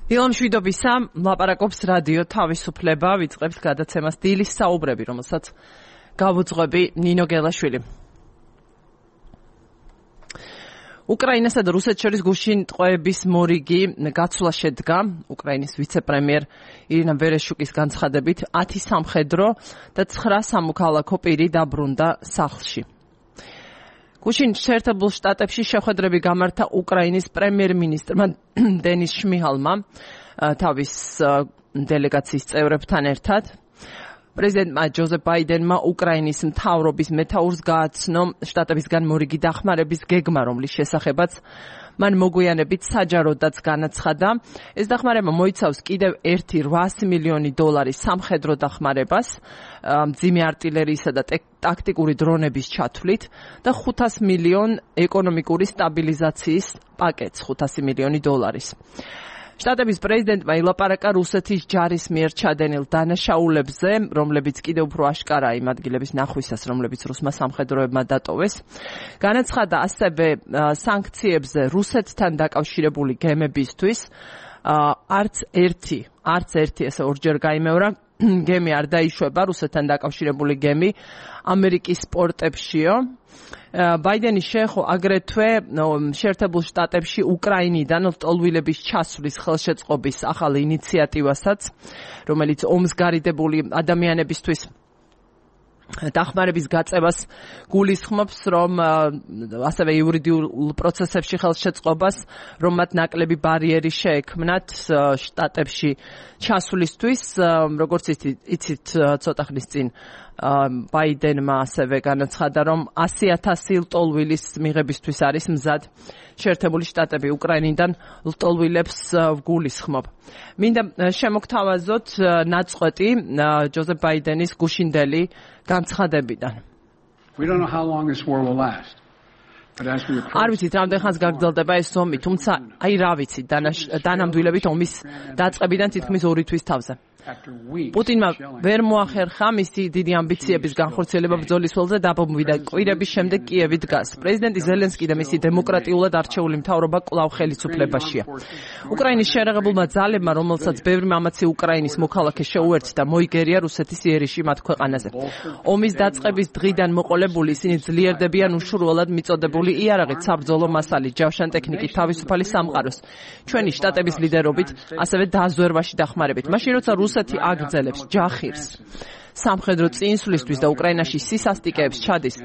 ილამ შვიდობისა, ლაპარაკობს რადიო თავისუფლება, ვიწყებთ გადაცემას დილის საუბრები, რომელსაც გავუძღვები ნინო გელაშვილი. უკრაინასა და რუსეთს შორის გუშინ ტყვეების მორიგი გაცვლა შედგა. უკრაინის ვიცე-პრემიერ ირინა ვერეშუკის განცხადებით 10 სამხედრო და 9 სამოქალაქო პირი დაბრუნდა სახლში. გუშინ შეერთებულ შტატებში შეხვედრები გამართა უკრაინის პრემიერ-მინისტრმა დენის შმიჰალმა თავის დელეგაციის წევრებთან ერთად. პრეზიდენტმა ჯოზეფ ბაიდენმა უკრაინის მთავრობის მეთაურს გააცნო შტატებისგან მორიგი დახმარების გეგმა, რომლის შესახებაც მან მოგვიანებით საჯაროდაც განაცხადა. ეს დახმარება მოიცავს კიდევ ერთი $800 მილიონი სამხედრო დახმარებას, მძიმე არტილერიისა და ტაქტიკური დრონების ჩათვლით და $500 მილიონ ეკონომიკური სტაბილიზაციის პაკეტს, $500 მილიონი. შტატების პრეზიდენტმა ილაპარაკა რუსეთის ჯარის მიერ ჩადენილ დანაშაულებზე, რომლებიც კიდევ უფრო აშკარაა იმ ადგილების ნახვისას, რომლებიც რუსმა სამხედროებმა დატოვეს. განაცხადა ასევე სანქციებზე რუსეთთან დაკავშირებული გემებისთვის. არც ერთი ესე ორჯერ გაიმეორა გემი არ დაიშვება, რუსეთთან დაკავშირებული გემი ამერიკის პორტებშიო. ბაიდენი შეეხო აგრეთვე შეერთებულ შტატებში უკრაინიდან ლტოლვილების ჩასვლის ხელშეწყობის ახალ ინიციატივასაც, რომელიც ომს გარიდებული ადამიანებისთვის დახმარების გაწევას გულისხმობს, რომ ასევე იურიდიულ პროცესებში ხელშეწყობას, რომ მათ ნაკლები ბარიერი შეექმნათ შტატებში ჩასვლისთვის, როგორც იცით ცოტა ხნის წინ ბაიდენმა ასევე განაცხადა, რომ 100,000 ლტოლვილის მიღებისთვის არის მზად შეერთებული შტატები უკრაინიდან ლტოლვილებს გულისხმობ. მინდა შემოგთავაზოთ ნაწყვეტი ჯოზეფ ბაიდენის გუშინდელი განცხადებიდან. არ ვიცით რამდენ ხანს გაგრძელდება ეს ომი, თუმცა რა ვიცით, დანამდვილებით ომის დაწყებიდან თითქმის 2 თვის თავზე. პუტინმა ვერ მოახერხა მისი დიდი ამბიციების განხორციელება ბრძოლის ველზე დაბომბვიდა კვირების შემდეგ კიევი დგას. პრეზიდენტი ზელენსკი და მისი დემოკრატიულად არჩეული მთავრობა კვლავ ხელისუფლებაშია. უკრაინის შეერაღებულმა ძალებმა, რომელსაც ბევრი მამაცი უკრაინის მოქალაქე შეუერთდა, მოიგერია რუსეთის იერიში მათ ქვეყანაზე. ომის დაწყების დღიდან მოყოლებული ისინი ძლიერდებიან უშურველად მიწოდებული იარაღით, საბრძოლო მასალით, ჯავშან ტექნიკით, თავისუფალი სამყაროს, ჩვენი შტატების ლიდერობით, ასევე დაზვერვაში დახმარებით. მაშინ როცა რუსეთი აგრძელებს ჯახირს სამხედრო წინსვლისთვის და უკრაინაში სისასტიკეებს ჩადის,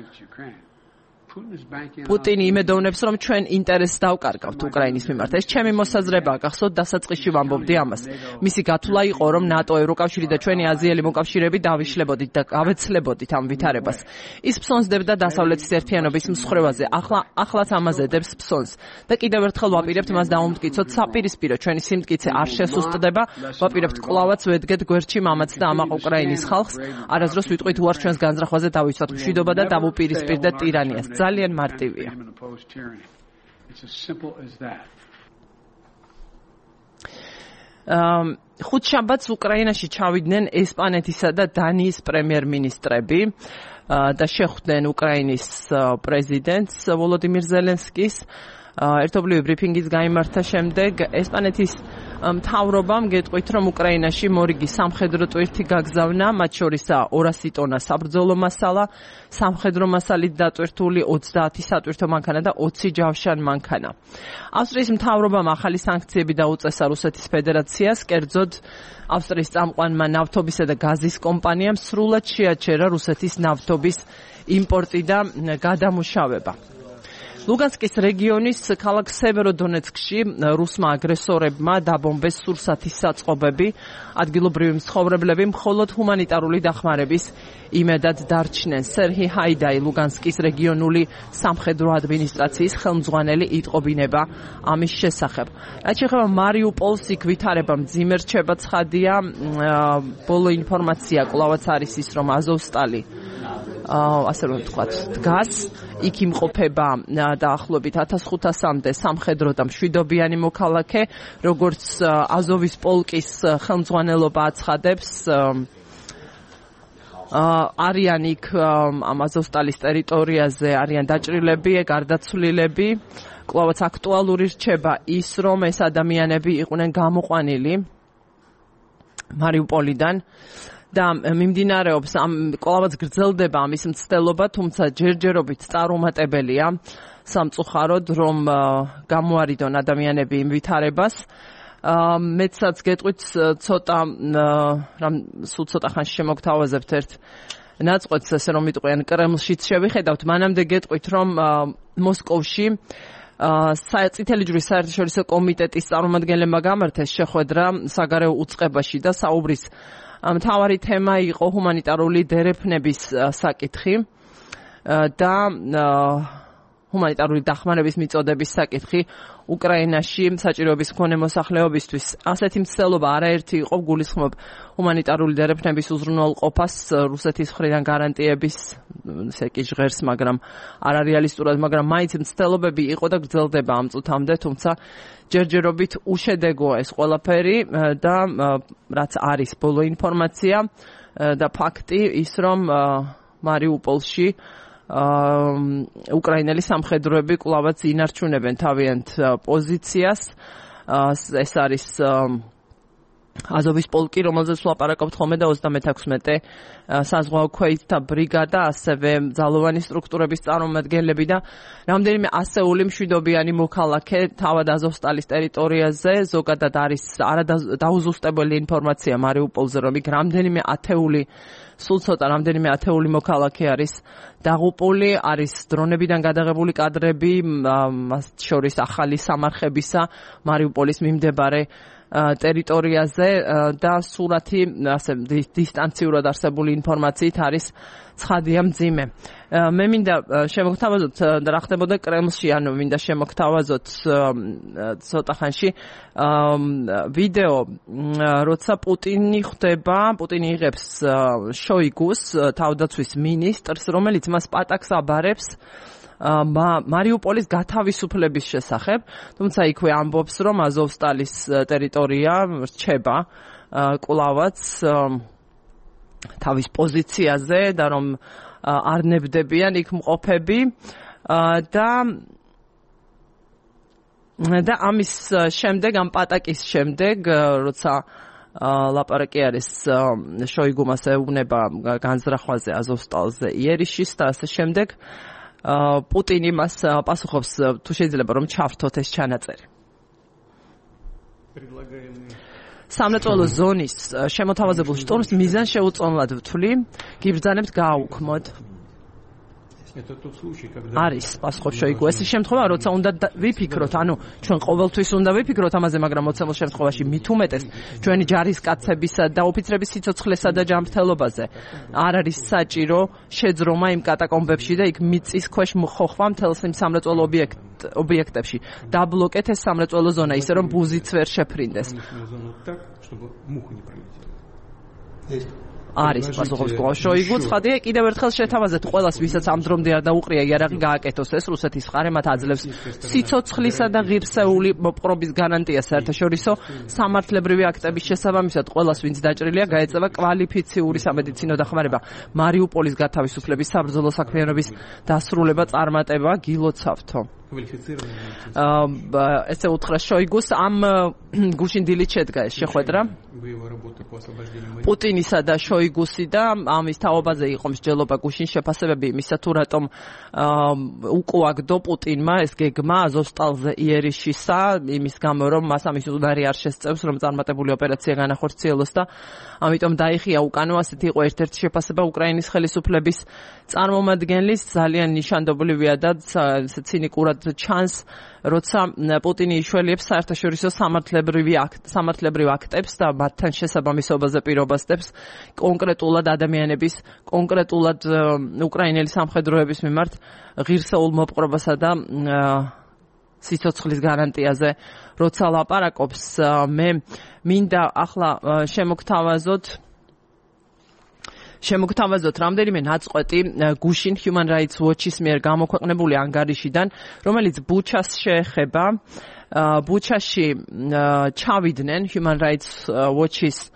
პუტინი იმედოვნებს, რომ ჩვენ ინტერესს დავკარგავთ უკრაინის მიმართ. ეს ჩემი მოსაზრებაა, გახსოვთ დასაწყისში ვამბობდი ამას. მისი გათვლა იყო, რომ ნატო, ევროკავშირი და ჩვენი აზიელი მოკავშირეები დავიშლებოდით და გავეცლებოდით ამ ვითარებას. ის ფსონსდებდა დასავლეთის ერთიანობის მსხრევაზე, ახლაც ამაზე დებს ფსონს და კიდევ ერთხელ ვაპირებთ მას დაუმტკიცოთ საპირისპირო, ჩვენი სიმტკიცე არ შესუსტდება, ვაპირებთ კვლავაც ვედგეთ გვერდში მამაც და ამაყ უკრაინის ხალხს, არასდროს ვიტყვით უარ ჩვენს განზრახვაზე დავიცვათ მშვიდობა და დავუპირისპირდეთ ტირანიას. ძალიან მარტივია. ხუთშაბათს უკრაინაში ჩავიდნენ ესპანეთისა და დანიის პრემიერ-მინისტრები და შეხვდნენ უკრაინის პრეზიდენტს ვოლოდიმირ ზელენსკის. ერთობლივი ბრიფინგის გაიმართა შემდეგ ესპანეთის მთავრობამ გეტყვით, რომ უკრაინაში მორიგი სამხედრო ტვირთი გაგზავნა, მათ შორისაა 200 ტონა საბრძოლო მასალა, სამხედრო მასალით დატვირთული 30 სატვირთო მანქანა და 20 ჯავშან მანქანა. ავსტრიის მთავრობამ ახალი სანქციები დაუწესა რუსეთის ფედერაციას, კერძოდ ავსტრიის წამყვანმა ნავთობისა და გაზის კომპანიამ სრულად შეაჩერა რუსეთის ნავთობის იმპორტი და გადამუშავება. ლუგანსკის რეგიონის ქალაქ სევეროდონეცკში რუსმა აგრესორებმა დაბომბეს სურსათის საწყობები. ადგილობრივი მცხოვრებლები მხოლოდ ჰუმანიტარული დახმარების იმედად დარჩნენ. სერჰი ჰაიდაი, ლუგანსკის რეგიონული სამხედრო ადმინისტრაციის ხელმძღვანელი, იტყობინება ამის შესახებ. რაც შეეხება მარიუპოლს, იქ ვითარება მძიმე რჩება ცხადია. ბოლო ინფორმაცია კვლავაც არის ის, რომ აზოვსტალი ასე რომ ვთქვათ, დგას, იქ იმყოფება დაახლოებით 1500-მდე სამხედრო და მშვიდობიანი მოქალაქე, როგორც აზოვის პოლკის ხელმძღვანელობა აცხადებს. არიან იქ ამ აზოვსტალის ტერიტორიაზე არიან დაჭრილები, გარდაცვლილები. კვლავაც აქტუალური რჩება ის, რომ ეს ადამიანები იყვნენ გამოყვანილი მარიუპოლიდან და მიმდინარეობს კვლავაც გრძელდება ამის მცდელობა, თუმცა ჯერჯერობით წარუმატებელია სამწუხაროდ, რომ გამოარიდონ ადამიანები იმ ვითარებას. მეცაც გეტყვით ცოტა სულ ცოტა ხანში შემოგთავაზებთ ერთ ნაწყვეტს, ესე რომ ვიტყვი, ან კრემლშიც შევიხედავთ, მანამდე გეტყვით, რომ მოსკოვში წითელი ჯვრის საერთაშორისო კომიტეტის წარმომადგენლებმა გამართეს შეხვედრა საგარეო უწყებაში და საუბრის მთავარი თემა იყო ჰუმანიტარული დერეფნების საკითხი და ჰუმანიტარული დახმარების მიწოდების საკითხი უკრაინაში საჭიროების მქონე მოსახლეობისთვის. ასეთი მცდელობა არაერთი იყო, გულისხმობ ჰუმანიტარული დერეფნების უზრუნველყოფას რუსეთის მხრიდან გარანტიების ესე კი ჟღერს, მაგრამ არარეალისტურად, მაგრამ მაინც მცდელობები იყო და გრძელდება ამ წუთამდე, თუმცა ჯერჯერობით უშედეგოა ეს ყველაფერი და რაც არის ბოლო ინფორმაცია და ფაქტი ის, რომ მარიუპოლში უკრაინელი სამხედროები კვლავაც ინარჩუნებენ თავიანთ პოზიციას. ეს არის აზოვის პოლკი, რომელზეც ვლაპარაკობთ ხოლმე და 36 საზღვაო ქვეითთა ბრიგადა, ასევე ძალოვანი სტრუქტურების წარმომადგენლები და რამდენიმე ასეული მშვიდობიანი მოქალაქე თავად აზოვსტალის ტერიტორიაზე. ზოგადად არის არადაუზუსტებელი ინფორმაცია მარიუპოლზე, რომ იქ რამდენიმე ათეული მოქალაქე არის დაღუპული, არის დრონებიდან გადაღებული კადრები, მას შორის ახალი სამარხებისა მარიუპოლის მიმდებარე ტერიტორიაზე და სურათი ასე დისტანციურად არსებული ინფორმაციით არის ცხადია მძიმე. მე მინდა შემოგთავაზოთ რა ხდებოდა კრემლში, ანუ მინდა შემოგთავაზოთ ცოტა ხანში ვიდეო, როცა პუტინი იღებს შოიგუს, თავდაცვის მინისტრს, რომელიც მას პატაკს აბარებს მარიუპოლის გათავისუფლების შესახებ, თუმცა იქვე ამბობს, რომ აზოვსტალის ტერიტორია რჩება კვლავაც თავის პოზიციაზე და რომ არ ნებდებიან იქ მყოფები და ამის შემდეგ, ამ პატაკის შემდეგ, როცა ლაპარაკი არის შოიგუმას ეუბნება განზრახვაზე აზოვსტალზე იერიშის და ასე შემდეგ, პუტინი მას პასუხობს, თუ შეიძლება რომ ჩავრთოთ ეს ჩანაწერი. სამრეწველო ზონის შემოთავაზებულ შტორმს მიზანს შეუწონლად ვთვლი, გიბრძანებთ გააუქმოთ. არის პასუხობს შოიგუ. ეს შემთხვევა, როცა უნდა ვიფიქროთ, ანუ ჩვენ ყოველთვის უნდა ვიფიქროთ ამაზე, მაგრამ მოცემულ შემთხვევაში მით უმეტეს ჩვენი ჯარისკაცებისა და ოფიცრების სიცოცხლესა და ჯანმრთელობაზე არ არის საჭირო შეძრომა იმ კატაკომბებში და იქ მიწის ქვეშ მოხოხვა მთელს იმ სამრეწველო ობიექტებში. დაბლოკეთ ეს სამრეწველო ზონა, ისე რომ ბუზიც ვერ შეფრინდეს. არის პასუხობს შოიგუ. ცხადია, კიდევ ერთხელ შეთავაზეთ ყველას, ვისაც ამ დრომდე არ დაუყრია იარაღი გააკეთოს ეს რუსეთის მხარე, მათ აძლევს სიცოცხლისა და ღირსეული მოპყრობის გარანტია საერთაშორისო სამართლებრივი აქტების შესაბამისად. ყველას, ვინც დაჭრილია, გაეწევა კვალიფიციური სამედიცინო დახმარება. მარიუპოლის გათავისუფლების საბრძოლო საქმიანობის დასრულება წარმატება გილოცავთო. ესე უთხრა შოიგუს, ამ გუშინ დილით შედგა ეს შეხვედრა პუტინისა და შოიგუსი და ამის თაობაზე იყო მსჯელობა გუშინ შეფასებები იმისა, თუ რატომ უკუაგდო პუტინმა ეს გეგმა აზოვსტალზე იერიშისა, იმის გამო რომ მას ამის უნარი არ შესწევს, რომ წარმატებული ოპერაცია განახორციელოს და ამიტომ დაიხია უკანო. ასეთი იყო ერთ-ერთი შეფასება უკრაინის ხელისუფლების წარმომადგენლის. ძალიან ნიშანდობლივია და ცინიკურად ჩანს, როცა პუტინი იშველიებს საერთაშორისო სამართლებრივ აქტებს და მათთან შესაბამისობაზე პირობასდებს კონკრეტულად ადამიანების, კონკრეტულად უკრაინელი სამხედროების მიმართ ღირსეულ მოპყრობასა და სიცოცხლის გარანტიაზე როცა ლაპარაკობს. მე მინდა ახლა შემოგთავაზოთ რამდენიმე ნაწყვეტი გუშინ Human Rights Watch-ის მიერ გამოქვეყნებული ანგარიშიდან, რომელიც ბუჩას შეეხება. ბუჩაში ჩავიდნენ Human Rights Watch-ის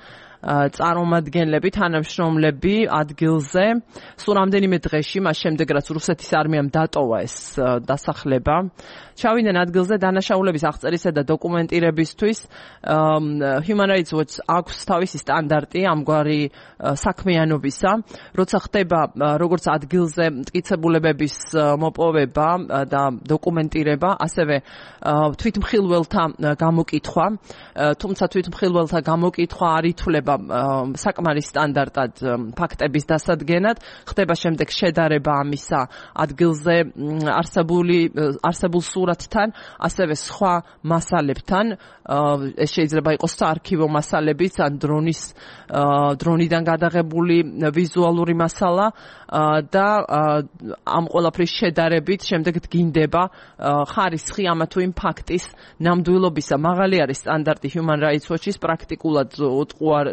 წარმომადგენლები, თანამშრომლები ადგილზე. სულ რამდენიმე დღეში, მას შემდეგ რაც რუსეთის არმიამ დატოვა ეს დასახლება, ჩავიდნენ ადგილზე დანაშაულების აღწერისა და დოკუმენტირებისთვის. Human Rights Watch აქვს თავისი სტანდარტი ამგვარი საქმიანობისა, როცა ხდება როგორც ადგილზე მტკიცებულებების მოპოვება და დოკუმენტირება, ასევე თვითმხილველთა გამოკითხვა, თუმცა თვითმხილველთა გამოკითხვა არ ითვლება საკმარის სტანდარტად ფაქტების დასადგენად, ხდება შემდეგ შედარება ამისა ადგილზე არსებულ სურათთან, ასევე სხვა მასალებთან. ეს შეიძლება იყოს საარქივო მასალებიც, ან დრონიდან გადაღებული ვიზუალური მასალა და ამ ყველაფრის შედარებით შემდეგ დგინდება ხარისხი ამა თუ იმ ფაქტის ნამდვილობისა. მაღალი არის სტანდარტი Human Rights Watch-ის, პრაქტიკულად უტყუარ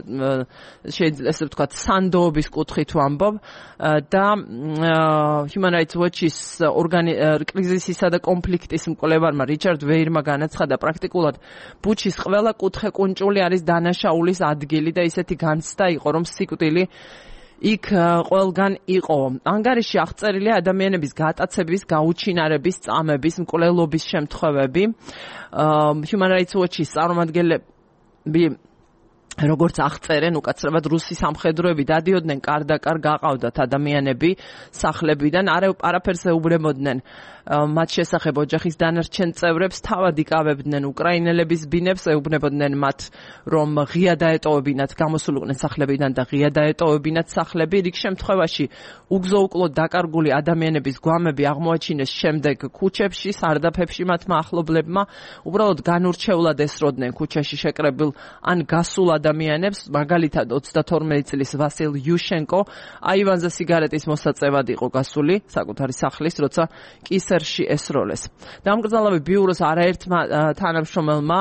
შეიძლება ესე ვთქვათ სანდოობის კუთხით ვამბობ და Human Rights Watch-ის კრიზისისა და კონფლიქტის მკვლევარმა რიჩარდ ვეირმა განაცხადა, პრაქტიკულად ბუჩის ყველა კუთხე-კუნჭული არის დანაშაულის ადგილი და ისეთი განცდა იყო, რომ სიკვდილი იქ ყველგან იყო. ანგარიში აღწერილია ადამიანების გატაცების, გაუჩინარების, წამების, მკვლელობის შემთხვევები. Human Rights Watch-ის წარმომადგენლები როგორც აღწერენ, უკაცრავად რუსი სამხედროები დადიოდნენ კარდაკარ, გაყავდათ ადამიანები სახლებიდან, არაფერს ეუბნებოდნენ მათ შესახებ ოჯახის დანარჩენ წევრებს, თავად იკავებდნენ უკრაინელების ბინებს, ეუბნებოდნენ მათ, რომ ღია დაეტოვებინათ, გამოსულიყვნენ სახლებიდან და ღია დაეტოვებინათ სახლები. რიგ შემთხვევაში უგზო-უკლოდ დაკარგული ადამიანების გვამები აღმოაჩინეს შემდეგ ქუჩებში, სარდაფებში მათმა ახლობლებმა, უბრალოდ განურჩეულად ესროდნენ ქუჩაში შეკრებილ ან გასულ ადამიანებს, მაგალითად 32 წლის ვასილ იუშენკო აივანზე სიგარეტის მოსაწევად იყო გასული საკუთარი სახლის, როცა კისერში ესროლეს. დამკრძალავი ბიუროს არაერთმა თანამშრომელმა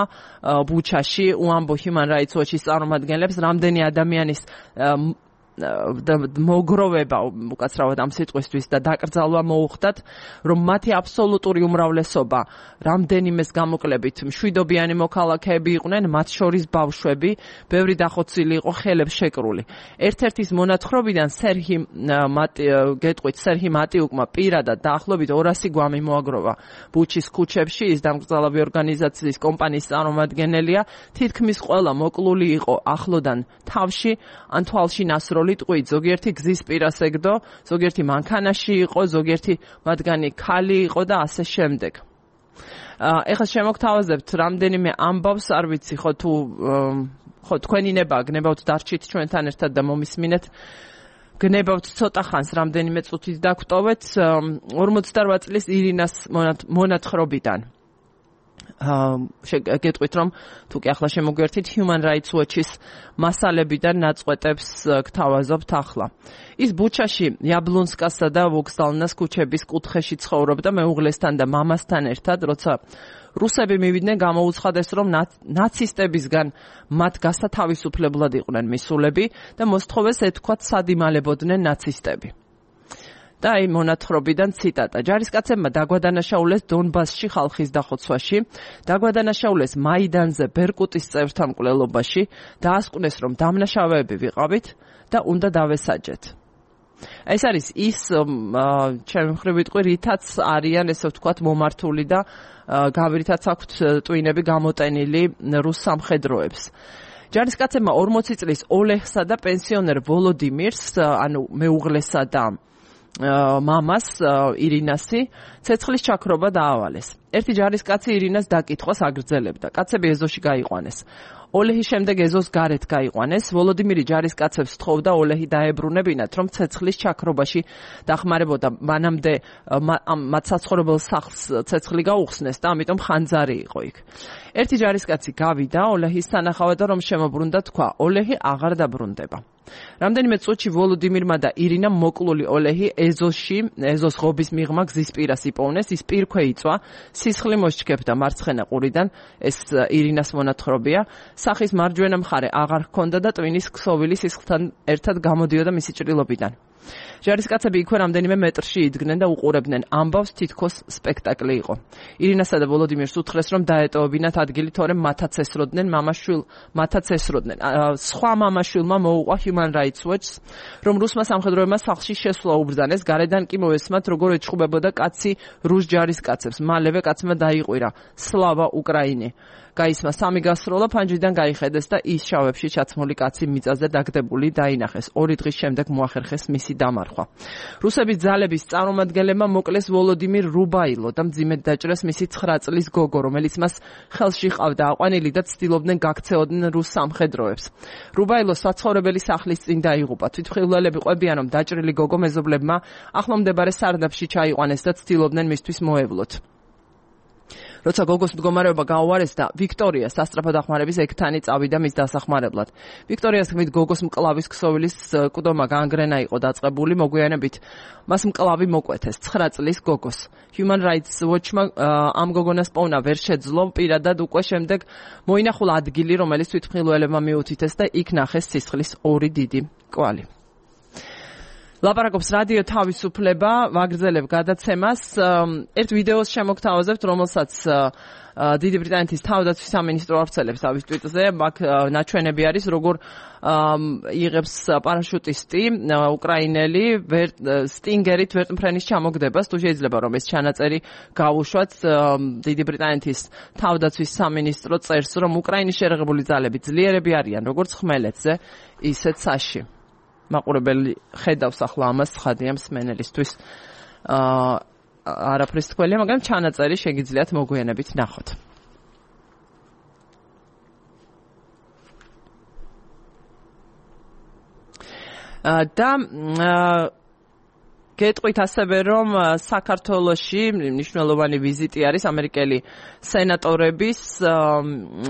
ბუჩაში უამბო Human Rights Watch-ის წარმომადგენლებს, რამდენი ადამიანის მოგროვება უკაცრავად ამ სიტყვისთვის და დაკრძალვა მოუხდათ, რომ მათი აბსოლუტური უმრავლესობა რამდენიმეს გამოკლებით მშვიდობიანი მოქალაქეები იყვნენ, მათ შორის ბავშვები, ბევრი დახოცილი იყო, ხელებს შეკრული. ერთ-ერთის მონათხრობიდან სერჰი მატიუკმა პირადად დაახლოებით 200 გვამი მოაგროვა ბუჩის ქუჩებში. ის დამკრძალავი ორგანიზაციის კომპანიის წარმომადგენელია. თითქმის ყველა მოკლული იყო ახლოდან თავში ან თვალში ნასროლი ტყვით, ზოგიერთი გზის პირას ეგდო, ზოგიერთი მანქანაში იყო, ზოგიერთი მათგანი ქალი იყო და ასე შემდეგ. ეხლა შემოგთავაზებთ რამდენიმე ამბავს, არ ვიცი ხო თქვენი ნება გნებავთ დარჩით ჩვენთან ერთად და მომისმინეთ. გნებავთ ცოტა ხანს, რამდენიმე წუთით დაგვტოვეთ 48 წლის ირინას მონათხრობიდან. გეტყვით, რომ თუ კი ახლა შემოგვერთით Human Rights Watch-ის მასალებიდან ნაწყვეტებს გთავაზობთ ახლა. ის ბუჩაში იაბლონსკასა და ვოქსდალნას ქუჩების კუთხეში ცხოვრობდა მეუღლესთან და მამასთან ერთად, როცა რუსები მივიდნენ, გამოუცხადეს, რომ ნაცისტებისგან მათ გასათავისუფლებლად იყვნენ მისულები და მოსთხოვეს ეთქვათ სად იმალებოდნენ ნაცისტები. და აი მონათხრობიდან ციტატა. ჯარისკაცებმა დაგვადანაშაულეს დონბასში ხალხის დახოცვაში, დაგვადანაშაულეს მაიდანზე ბერკუტის წევრთა მკვლელობაში, დაასკვნეს, რომ დამნაშავეები ვიყავით და უნდა დავესაჯეთ. ეს არის ის ჩემი მხრივ ვიტყვი, რითაც არიან ესე ვთქვათ მომართული და რითაც აქვთ ტვინები გამოტენილი რუს სამხედროებს. ჯარისკაცებმა 40 წლის ოლეჰსა და პენსიონერ ვოლოდიმირს, ანუ მეუღლესა და მამას ირინასი ცეცხლის ჩაქრობა დაავალეს. ერთი ჯარისკაცი ირინას დაკითხვას აგრძელებდა. კაცები ეზოში გაიყვანეს. ოლეჰის შემდეგ ეზოს გარეთ გაიყვანეს. ვოლოდიმირი ჯარისკაცებს თხოვდა ოლეჰი დაებრუნებინათ, რომ ცეცხლის ჩაქრობაში დახმარებოდა. მანამდე მათ საცხოვრებელ სახლს ცეცხლი გაუხსნეს და ამიტომ ხანძარი იყო იქ. ერთი ჯარისკაცი გავიდა ოლეჰის სანახავად და რომ შემოbrunდა თქვა, ოლეჰი აღარ დაბრუნდება. რამდენიმე წუთში ვოლოდიმირმა და ირინამ მოკლული ოლეჰი ეზოს ღობის მიღმა გზის პირას იპოვნეს, ის პირქვე იწვა, სისხლი მოსჩქეფდა მარცხენა ყურიდან, ეს ირინას მონათხრობია. სახის მარჯვენა მხარე აღარ ჰქონდა და ტვინის ქსოვილი სისხლთან ერთად გამოდიოდა მისი ჭრილობიდან. ჯარისკაცები იქვე რამდენიმე მეტრში იდგნენ და უყურებდნენ ამბავს, თითქოს სპექტაკლი იყო. ირინასა და ვოლოდიმირს უთხრეს, რომ დაეტოვებინათ ადგილი, თორემ მათაც ესროდნენ. სხვა მამაშვილმა მოუყვა Human Rights Watch-ს, რომ რუსმა სამხედროებმა სახლში შესვლა უბრძანეს, გარედან კი მოესმათ, როგორ ეჩხუბებოდა კაცი რუს ჯარისკაცებს. მალევე კაცმა დაიყვირა სლავა უკრაინი. გაისმა სამი გასროლა, ფანჯრიდან გაიხედეს და ის შავებში ჩაცმული კაცი მიწაზე დაგდებული დაინახეს. 2 დღის შემდეგ მოახერხეს მისი დამარხვა. რუსების ძალების წარმომადგენლებმა მოკლეს ვოლოდიმირ რუბაილო და მძიმედ დაჭრეს მისი 9 წლის გოგო, რომელიც მას ხელში ჰყავდა აყვანილი და ცდილობდნენ გაქცეოდნენ რუს სამხედროებს. რუბაილოს საცხოვრებელი სახლის წინ დაიღუპა. თვითმხილველები ყვებიან, რომ დაჭრილი გოგო მეზობლებმა ახლომდებარე სარდაფში ჩაიყვანეს და ცდილობდნენ მისთვის მოევლოთ. როცა გოგოს მდგომარეობა გაუარესდა, ვიქტორია სასწრაფო დახმარების ექთანი წავიდა მის დასახმარებლად. ვიქტორიას თქმით, გოგოს მკლავის ქსოვილის კუდომა განგრენა იყო დაწყებული, მოგვიანებით მას მკლავი მოკვეთეს 9 წლის გოგოს. Human Rights Watch-მა ამ გოგონას პოვნა ვერ შეძლო, პირადად უკვე შემდეგ მოინახულა ადგილი, რომელიც თვითმხილველებმა მიუთითეს და იქ ნახეს სისხლის 2 დიდი კვალი. ლაპარაკობს რადიო თავისუფლება, ვაგრძელებ გადაცემას. ერთ ვიდეოს შემოგთავაზებთ, რომელსაც დიდი ბრიტანეთის თავდაცვის სამინისტრო ავრცელებს თავის ტვიტზე. აქ ნაჩვენები არის, როგორ იღებს პარაშუტისტი უკრაინელი სტინგერით ვერტმფრენის ჩამოგდებას. თუ შეიძლება რომ ეს ჩანაწერი გავუშვათ, დიდი ბრიტანეთის თავდაცვის სამინისტრო წერს, რომ უკრაინის შერეღებული ძალები ძლიერები არიან, როგორც ხმელეთზე, ისეც საში. მაყურებელი ხედავს ახლა ამას ცხადია მსმენელისთვის. არაფრის თქვენია, მაგრამ ჩანაწერი შეგიძლიათ მოგვიანებით ნახოთ. და გეტყვით ასევე, რომ საქართველოში მნიშვნელოვანი ვიზიტი არის ამერიკელი სენატორების.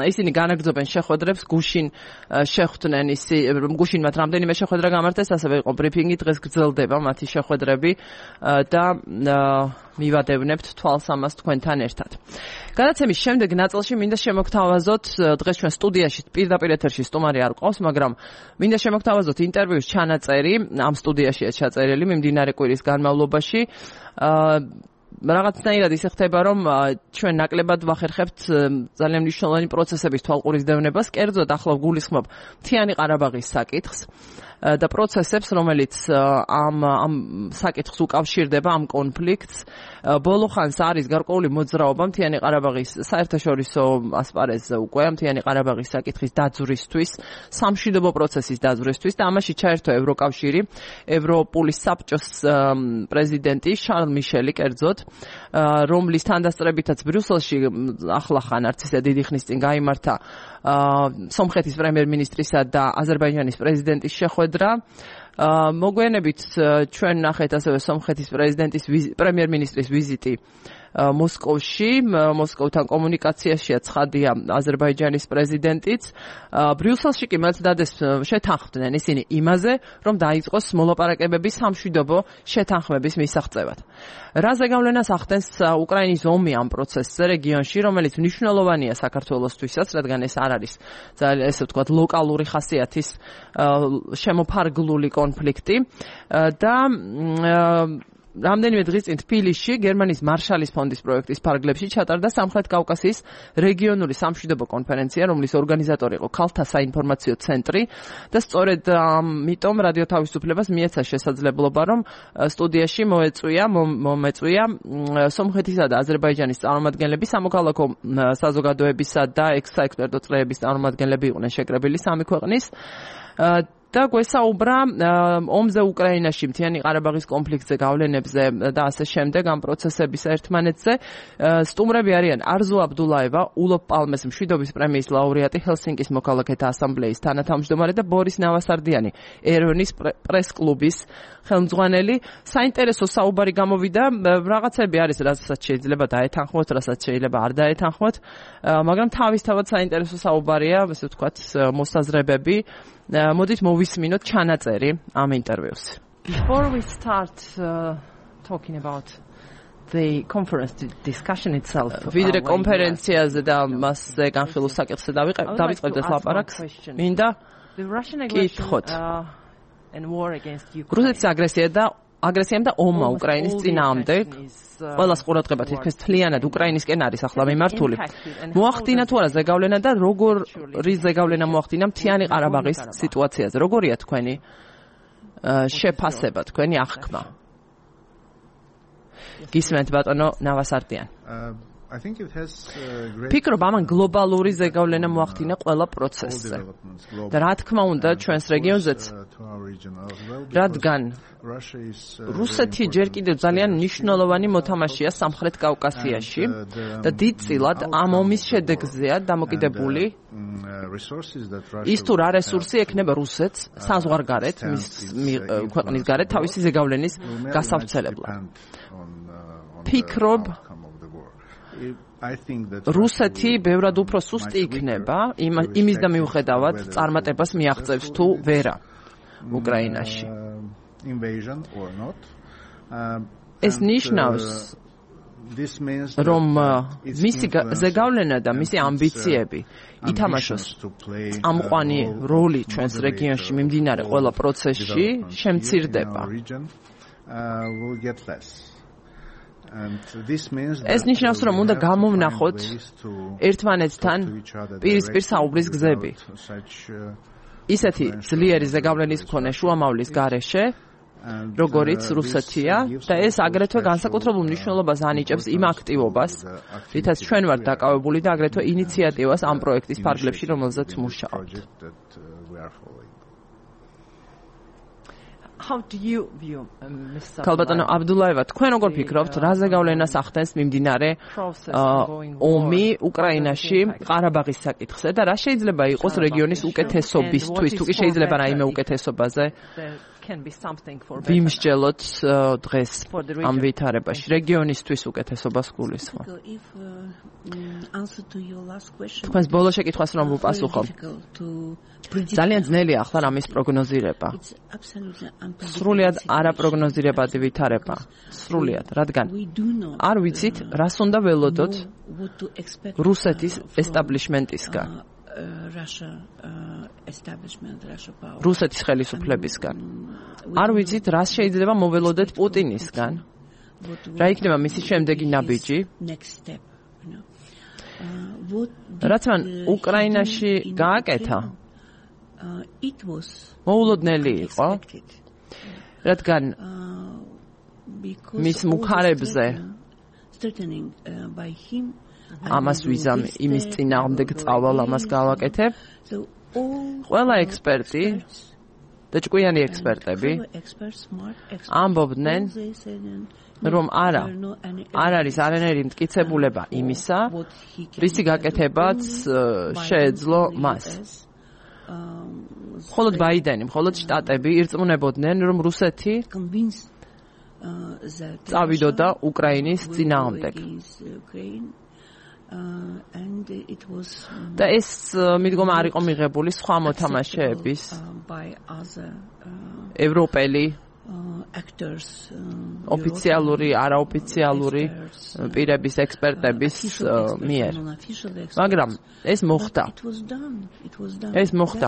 ისინი განაგრძობენ შეხვედრებს, გუშინ შეხვდნენ გუშინ მათ რამდენიმე შეხვედრა გამართეს, ასევე იყო ბრიფინგი, დღეს გრძელდება მათი შეხვედრები და მივადევნებთ თვალს ამას თქვენთან ერთად. გადაცემის შემდეგ ნაწილში მინდა შემოგთავაზოთ, დღეს ჩვენ სტუდიაში პირდაპირ ეთერში სტუმარი არ ყავს, მაგრამ მინდა შემოგთავაზოთ ინტერვიუს ჩანაწერი, ამ სტუდიაშია ჩაწერილი მიმდინარე კვირის განმავლობაში. რაღაცნაირად ისე ხდება, რომ ჩვენ ნაკლებად ვახერხებთ ძალიან მნიშვნელოვანი პროცესების თვალყურისდევნებას, კერძოდ ახლა გულისხმობ მთიანი ყარაბაღის საკითხს და პროცესებს, რომელიც ამ საკითხს უკავშირდება, ამ კონფლიქტს. ბოლო ხანს არის გარკვეული მოძრაობა მთიანი ყარაბაღის საერთაშორისო ასპარეზზე უკვე მთიანი ყარაბაღის საკითხის დაძვრისთვის, სამშვიდობო პროცესის დაძვრისთვის და ამაში ჩაერთო ევროკავშირი, ევროპული საბჭოს პრეზიდენტი შარლ მიშელი კერძოდ, რომლის თანდასწრებითაც ბრიუსელში ახლახან არც ისე დიდი ხნის წინ გაიმართა სომხეთის პრემიერ-მინისტრისა და აზერბაიჯანის პრეზიდენტის შეხვედრა. მოგვიანებით ჩვენ ნახეთ ასევე სომხეთის პრემიერ-მინისტრის ვიზიტი მოსკოვში, მოსკოვთან კომუნიკაციაშია ცხადია აზერბაიჯანის პრეზიდენტიც. ბრიუსელში კი მათ დადეს შეთანხმდნენ ისინი იმაზე, რომ დაიწყოს მოლაპარაკებები სამშვიდობო შეთანხმების მისაღწევად. რაზე გავლენას ახდენს უკრაინის ომი ამ პროცესზე რეგიონში, რომელიც მნიშვნელოვანია საქართველოსთვისაც, რადგან ეს არ არის ძალიან ესე ვთქვათ ლოკალური ხასიათის შემოფარგლული კონფლიქტი და რამდენიმე დღის წინ თბილისში გერმანიის მარშალის ფონდის პროექტის ფარგლებში ჩატარდა სამხრეთ კავკასიის რეგიონული სამშვიდობო კონფერენცია, რომლის ორგანიზატორი იყო ქალთა საინფორმაციო ცენტრი და სწორედ ამიტომ რადიო თავისუფლებას მიეცა შესაძლებლობა, რომ სტუდიაში მომეწვია სომხეთისა და აზერბაიჯანის წარმომადგენლები, სამოქალაქო საზოგადოებისა და ექსპერტო წრეების წარმომადგენლები იყვნენ შეკრებილი სამი ქვეყნის და გვესაუბრა ომზე უკრაინაში, მთიანი ყარაბაღის კონფლიქტზე, გავლენებზე და ასე შემდეგ ამ პროცესების ერთმანეთზე. სტუმრები არიან არზუ აბდულაევა, ულოფ პალმეს მშვიდობის პრემიის ლაურეატი, ჰელსინკის მოქალაქეთა ასამბლეის თანათავმჯდომარე და ბორის ნავასარდიანი, ერევნის პრეს-კლუბის ხელმძღვანელი. საინტერესო საუბარი გამოვიდა, რაღაცები არის, რასაც შეიძლება დაეთანხმოთ, რასაც შეიძლება არ დაეთანხმოთ, მაგრამ თავისთავად საინტერესო საუბარია, ესე ვთქვათ, მოსაზრებები. მოდით მოვისმინოთ ჩანაწერი ამ ინტერვიუს. Before we start talking about the conference discussion itself, ვიდრე კონფერენციაზე და მასზე განხილულ საკითხზე დავიწყებდეთ ლაპარაკს, მინდა კითხოთ. რუსეთის აგრესიამ და ომმა უკრაინის წინააღმდეგ ყველას ყურადღება თითქმის მთლიანად უკრაინისკენ არის ახლა მიმართული. მოახდინა თუ არა ზეგავლენა და როგორი ზეგავლენა მოახდინა მთიანი ყარაბაღის სიტუაციაზე? როგორია თქვენი შეფასება, თქვენი აღქმა? გისმენთ ბატონო ნავასარტიან. ფიქრობ ამან გლობალური ზეგავლენა მოახდინა ყველა პროცესზე. და რა თქმა უნდა ჩვენს რეგიონზეც, რადგან რუსეთი ჯერ კიდევ ძალიან მნიშვნელოვანი მოთამაშეა სამხრეთ კავკასიაში და დიდწილად ამ ომის შედეგზეა დამოკიდებული ის თუ რა რესურსი ექნება რუსეთს საზღვარგარეთ, მის ქვეყნის გარეთ თავისი ზეგავლენის გასავრცელებლად. ფიქრობ რუსეთი ბევრად უფრო სუსტი იქნება იმის და მიუხედავად წარმატებას მიაღწევს თუ ვერა უკრაინაში. ეს ნიშნავს რომ მისი ზეგავლენა და მისი ამბიციები ითამაშოს წამყვანი როლი ჩვენს რეგიონში მიმდინარე ყველა პროცესში შემცირდება. ეს ნიშნავს, რომ უნდა გამოვნახოთ ერთმანეთთან პირისპირ საუბრის გზები. ისეთი ძლიერი ზეგავლენის მქონე შუამავლის გარეშე, როგორიც რუსეთია და ეს აგრეთვე განსაკუთრებულ მნიშვნელობას ანიჭებს იმ აქტივობას, რითაც ჩვენ ვართ დაკავებული და აგრეთვე ინიციატივას ამ პროექტის ფარგლებში, რომელზეც მუშაობთ. ქალბატონო აბდულაევა, თქვენ როგორ ფიქრობთ, რა ზეგავლენას ახდენს მიმდინარე ომი უკრაინაში ყარაბაღის საკითხზე და რა შეიძლება იყოს რეგიონის უკეთესობისთვის, თუ კი შეიძლება რაიმე უკეთესობაზე ვიმსჯელოთ დღეს ამ ვითარებაში, რეგიონისთვის უკეთესობას გულისხმობ. თქვენს ბოლო შეკითხვას რომ ვუპასუხო. ძალიან ძნელია ახლა რამის პროგნოზირება. სრულიად არაპროგნოზირებადი ვითარება. სრულიად, რადგან არ ვიცით, რას უნდა ველოდოთ რუსეთის ესტაბლიშმენტისგან. რუსეთის ხელისუფლებისგან. არ ვიცით, რას შეიძლება მოველოდეთ პუტინისგან. რა იქნება მისი შემდეგი ნაბიჯი? რაც მან უკრაინაში გააკეთა, მოულოდნელი იყო, რადგან მის მუქარებზე ამას ვიზამ იმის წინააღმდეგ წავალ ამას გავაკეთებ. ყველა ექსპერტი და ჭკვიანი ექსპერტები ამბობდნენ, რომ არ არის არანაირი მტკიცებულება იმისა, რისი გაკეთებაც შეეძლო მას. მხოლოდ ბაიდენი, მხოლოდ შტატები ირწმუნებოდნენ, რომ რუსეთი წავიდოდა უკრაინის წინააღმდეგ. და ეს მიდგომა არ იყო მიღებული სხვა მოთამაშეების, ევროპელი, ოფიციალური, არაოფიციალური პირების, ექსპერტების მიერ. მაგრამ ეს მოხდა. ეს მოხდა.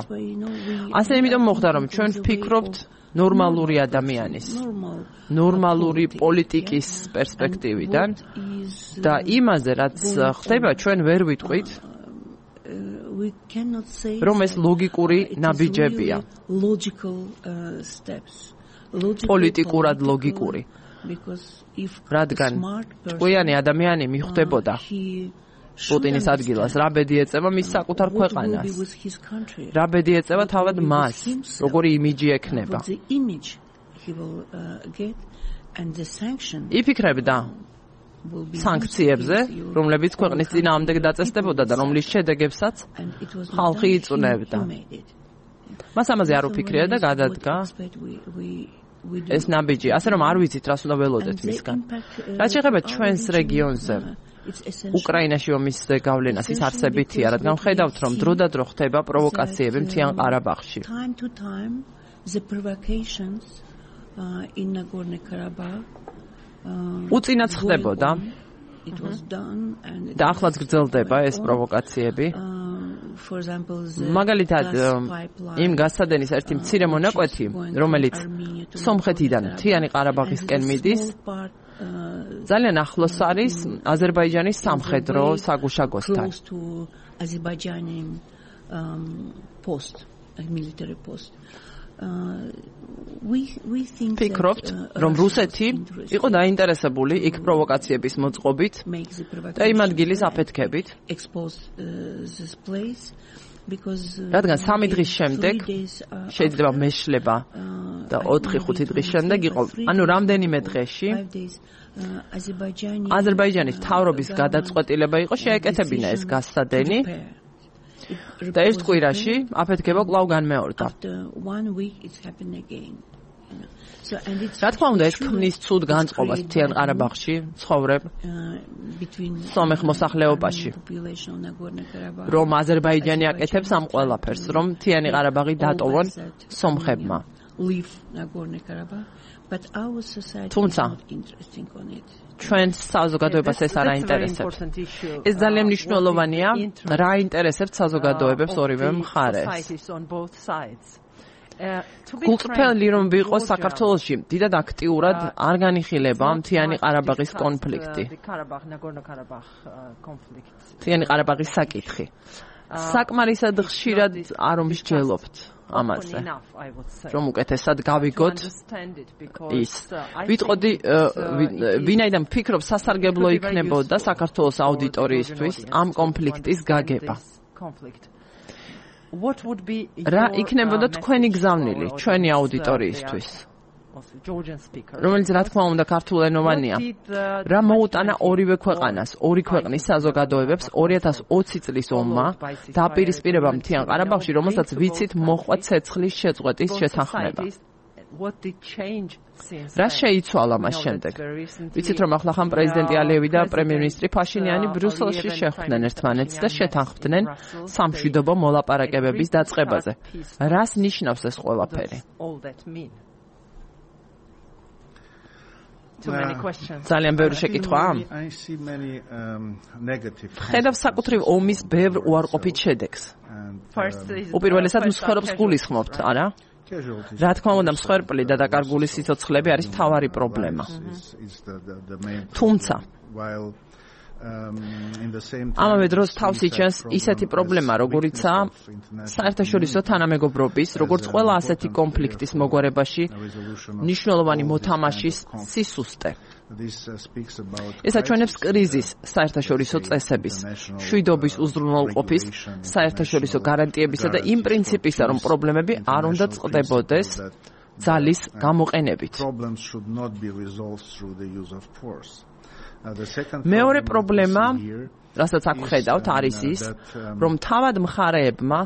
ასე იმიტომ მოხდა, რომ ჩვენ ვფიქრობთ ნორმალური ადამიანის, ნორმალური პოლიტიკის პერსპექტივიდან და იმაზე, რაც ხდება, ჩვენ ვერ ვიტყვით, რომ ეს ლოგიკური ნაბიჯებია. პოლიტიკურად ლოგიკური. რადგან ჭკვიანი ადამიანი მიხვდებოდა პუტინის ადგილას, რა ბედი ეწევა მის საკუთარ ქვეყანას, რა ბედი ეწევა თავად მას, როგორი იმიჯი ექნება. იფიქრებდა სანქციებზე, რომლებიც ქვეყნის წინააღმდეგ დაწესდებოდა და რომლის შედეგებსაც ხალხი იწუნებდა. მას ამაზე არ უფიქრია და გადადგა ეს ნაბიჯი, ასე რომ არ ვიცით, რას უნდა ველოდეთ მისგან. რაც შეეხება ჩვენს რეგიონზე, უკრაინაში ომის გავლენას, ის არსებითია, რადგან ხედავთ, რომ დრო და დრო ხდება პროვოკაციები მთიან ყარაბაღში. უწინაც ხდებოდა და ახლაც გრძელდება ეს პროვოკაციები. მაგალითად, იმ გასადენის ერთი მცირე მონაკვეთი, რომელიც სომხეთიდან მთიანი ყარაბაღისკენ მიდის, ძალიან ახლოს არის აზერბაიჯანის სამხედრო საგუშაგოსთან. ვფიქრობთ, რომ რუსეთი იყო დაინტერესებული იქ პროვოკაციების მოწყობით და იმ ადგილის აფეთქებით, რადგან 3 დღის შემდეგ შეიძლება მეშლება და 4-5 დღის შემდეგ იყო, ანუ რამდენიმე დღეში აზერბაიჯანის მთავრობის გადაწყვეტილება იყო შეეკეთებინა ეს გასადენი და ერთ კვირაში აფეთქება კვლავ განმეორდა. რა თქმა უნდა, ეს ქმნის ცუდ განწყობას მთიან ყარაბაღში ცხოვრებ სომეხ მოსახლეობაში, რომ აზერბაიჯანი აკეთებს ამ ყველაფერს, რომ მთიანი ყარაბაღი დატოვონ სომხებმა. თუმცა ჩვენს საზოგადოებას ეს არ აინტერესებს. ეს ძალიან მნიშვნელოვანია, რა აინტერესებს საზოგადოებებს ორივე მხარეს. გულწრფელი რომ ვიყოს საქართველოში, დიდად აქტიურად არ განიხილება მთიანი ყარაბაღის კონფლიქტი. მთიანი ყარაბაღის საკითხი. საკმარისად ხშირად არ ვიმსჯელობთ ამაზე, რომ უკეთესად გავიგოთ ის. ვიტყოდი, ვინაიდან ვფიქრობ, სასარგებლო იქნებოდა საქართველოს აუდიტორიისთვის ამ კონფლიქტის გაგება. რა იქნებოდა თქვენი გზავნილი ჩვენი აუდიტორიისთვის, რომელიც რა თქმა უნდა ქართულენოვანია. რა მოუტანა ორივე ქვეყანას, ორი ქვეყნის საზოგადოებებს 2020 წლის ომმა დაპირისპირება მთიან ყარაბაღში, რომელსაც ვიცით მოჰყვა ცეცხლის შეწყვეტის შეთანხმება. რა შეიცვალა მას შემდეგ? ვიცით, რომ ახლახან პრეზიდენტი ალიევი და პრემიერ-მინისტრი ფაშინიანი ბრიუსელში შეხვდნენ ერთმანეთს და შეთანხმდნენ სამშვიდობო მოლაპარაკებების დაწყებაზე. რას ნიშნავს ეს ყველაფერი? ძალიან ბევრი შეკითხვა. ხედავ საკუთრივ ომის ბევრ უარყოფით შედეგს. უპირველესად მსხვერპლს გულისხმობთ, არა? რა თქმა უნდა, მსხვერპლი და დაკარგული სიცოცხლები არის მთავარი პრობლემა. თუმცა ამავე დროს თავს იჩენს ისეთი პრობლემა, როგორიცაა საერთაშორისო თანამეგობრობის, როგორც ყველა ასეთი კონფლიქტის მოგვარებაში მნიშვნელოვანი მოთამაშის სისუსტე. ეს აჩვენებს კრიზისს საერთაშორისო წესების, მშვიდობის უზრუნველყოფის, საერთაშორისო გარანტიებისა და იმ პრინციპისა, რომ პრობლემები არ უნდა წყდებოდეს ძალის გამოყენებით. მეორე პრობლემა, რასაც აქ ვხედავთ, არის ის, რომ თავად მხარეებმა,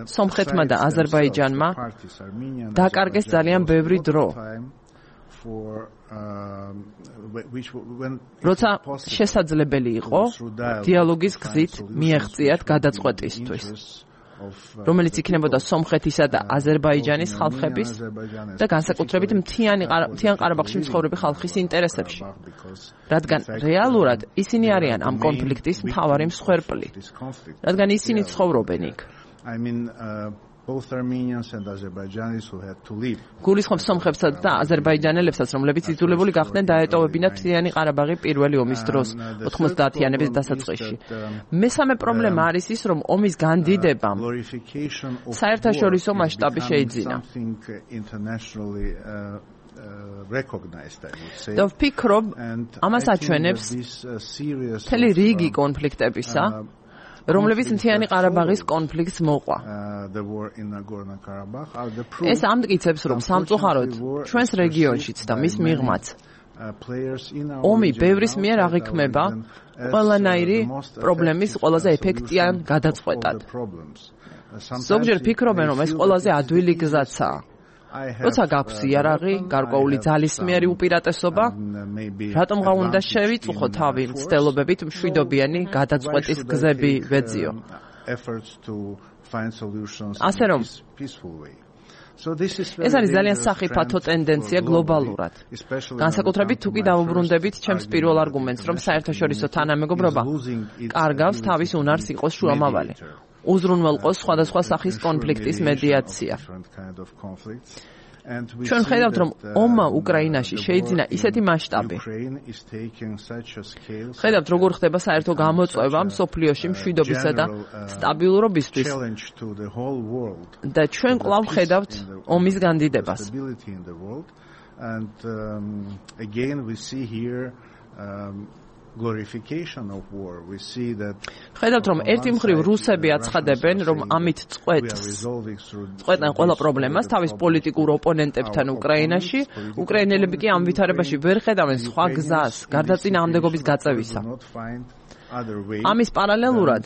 სომხეთმა და აზერბაიჯანმა დაკარგეს ძალიან ბევრი დრო, როცა შესაძლებელი იყო დიალოგის გზით მიაღწიათ გადაწყვეტისთვის, რომელიც იქნებოდა სომხეთისა და აზერბაიჯანის ხალხების და განსაკუთრებით მთიან ყარაბაღში მცხოვრები ხალხის ინტერესებში, რადგან რეალურად ისინი არიან ამ კონფლიქტის მთავარი მსხვერპლი, რადგან ისინი ცხოვრობენ იქ. გულისხმობს სომხებსა და აზერბაიჯანელებსაც, რომლებიც იძულებული გახდნენ დაეტოვებინათ მთიანი ყარაბაღი პირველი ომის დროს 90-იანების დასაწყისში. მესამე პრობლემა არის ის, რომ ომის განდიდებამ საერთაშორისო მასშტაბი შეიძინა. და ვფიქრობ, ამას აჩვენებს მთელი რიგი კონფლიქტებისა, რომლებიც მთიანი ყარაბაღის კონფლიქტს მოყვა. ეს ამტკიცებს, რომ სამწუხაროდ ჩვენს რეგიონშიც და მის მიღმაც ომი ბევრის მიერ აღიქმება ყველანაირი პრობლემის ყველაზე ეფექტიან გადაწყვეტად. ზოგჯერ ფიქრობენ, რომ ეს ყველაზე ადვილი გზაცაა. როცა გაქვს იარაღი, გარკვეული ძალისმიერი უპირატესობა, რატომღა უნდა შევიწუხო თავი მცდელობებით მშვიდობიანი გადაწყვეტის გზები ვეძიო. ასე რომ ეს არის ძალიან სახიფათო ტენდენცია გლობალურად. განსაკუთრებით თუ კი დავუბრუნდებით ჩემს პირველ არგუმენტს, რომ საერთაშორისო თანამეგობრობა კარგავს თავის უნარს იყოს შუამავალი. უზრუნველყოს სხვადასხვა სახის კონფლიქტის მედიაცია. ჩვენ ხედავთ, რომ ომმა უკრაინაში შეიძინა ისეთი მასშტაბი. ხედავთ, როგორ ხდება საერთო გამოწვევა მსოფლიოში მშვიდობისა და სტაბილურობისთვის. და ჩვენ კვლავ ხედავთ ომის განდიდებას. And again we see here glorification of war. We see that ხედავთ, რომ ერთი მხრივ რუსები აცხადებენ, რომ ამით წყვეტენ ყველა პრობლემას თავის პოლიტიკურ ოპონენტებთან უკრაინაში, უკრაინელები კი ამ ვითარებაში ვერ ხედავენ სხვა გზას გარდაწინააღმდეგობის გაწევისა. ამის პარალელურად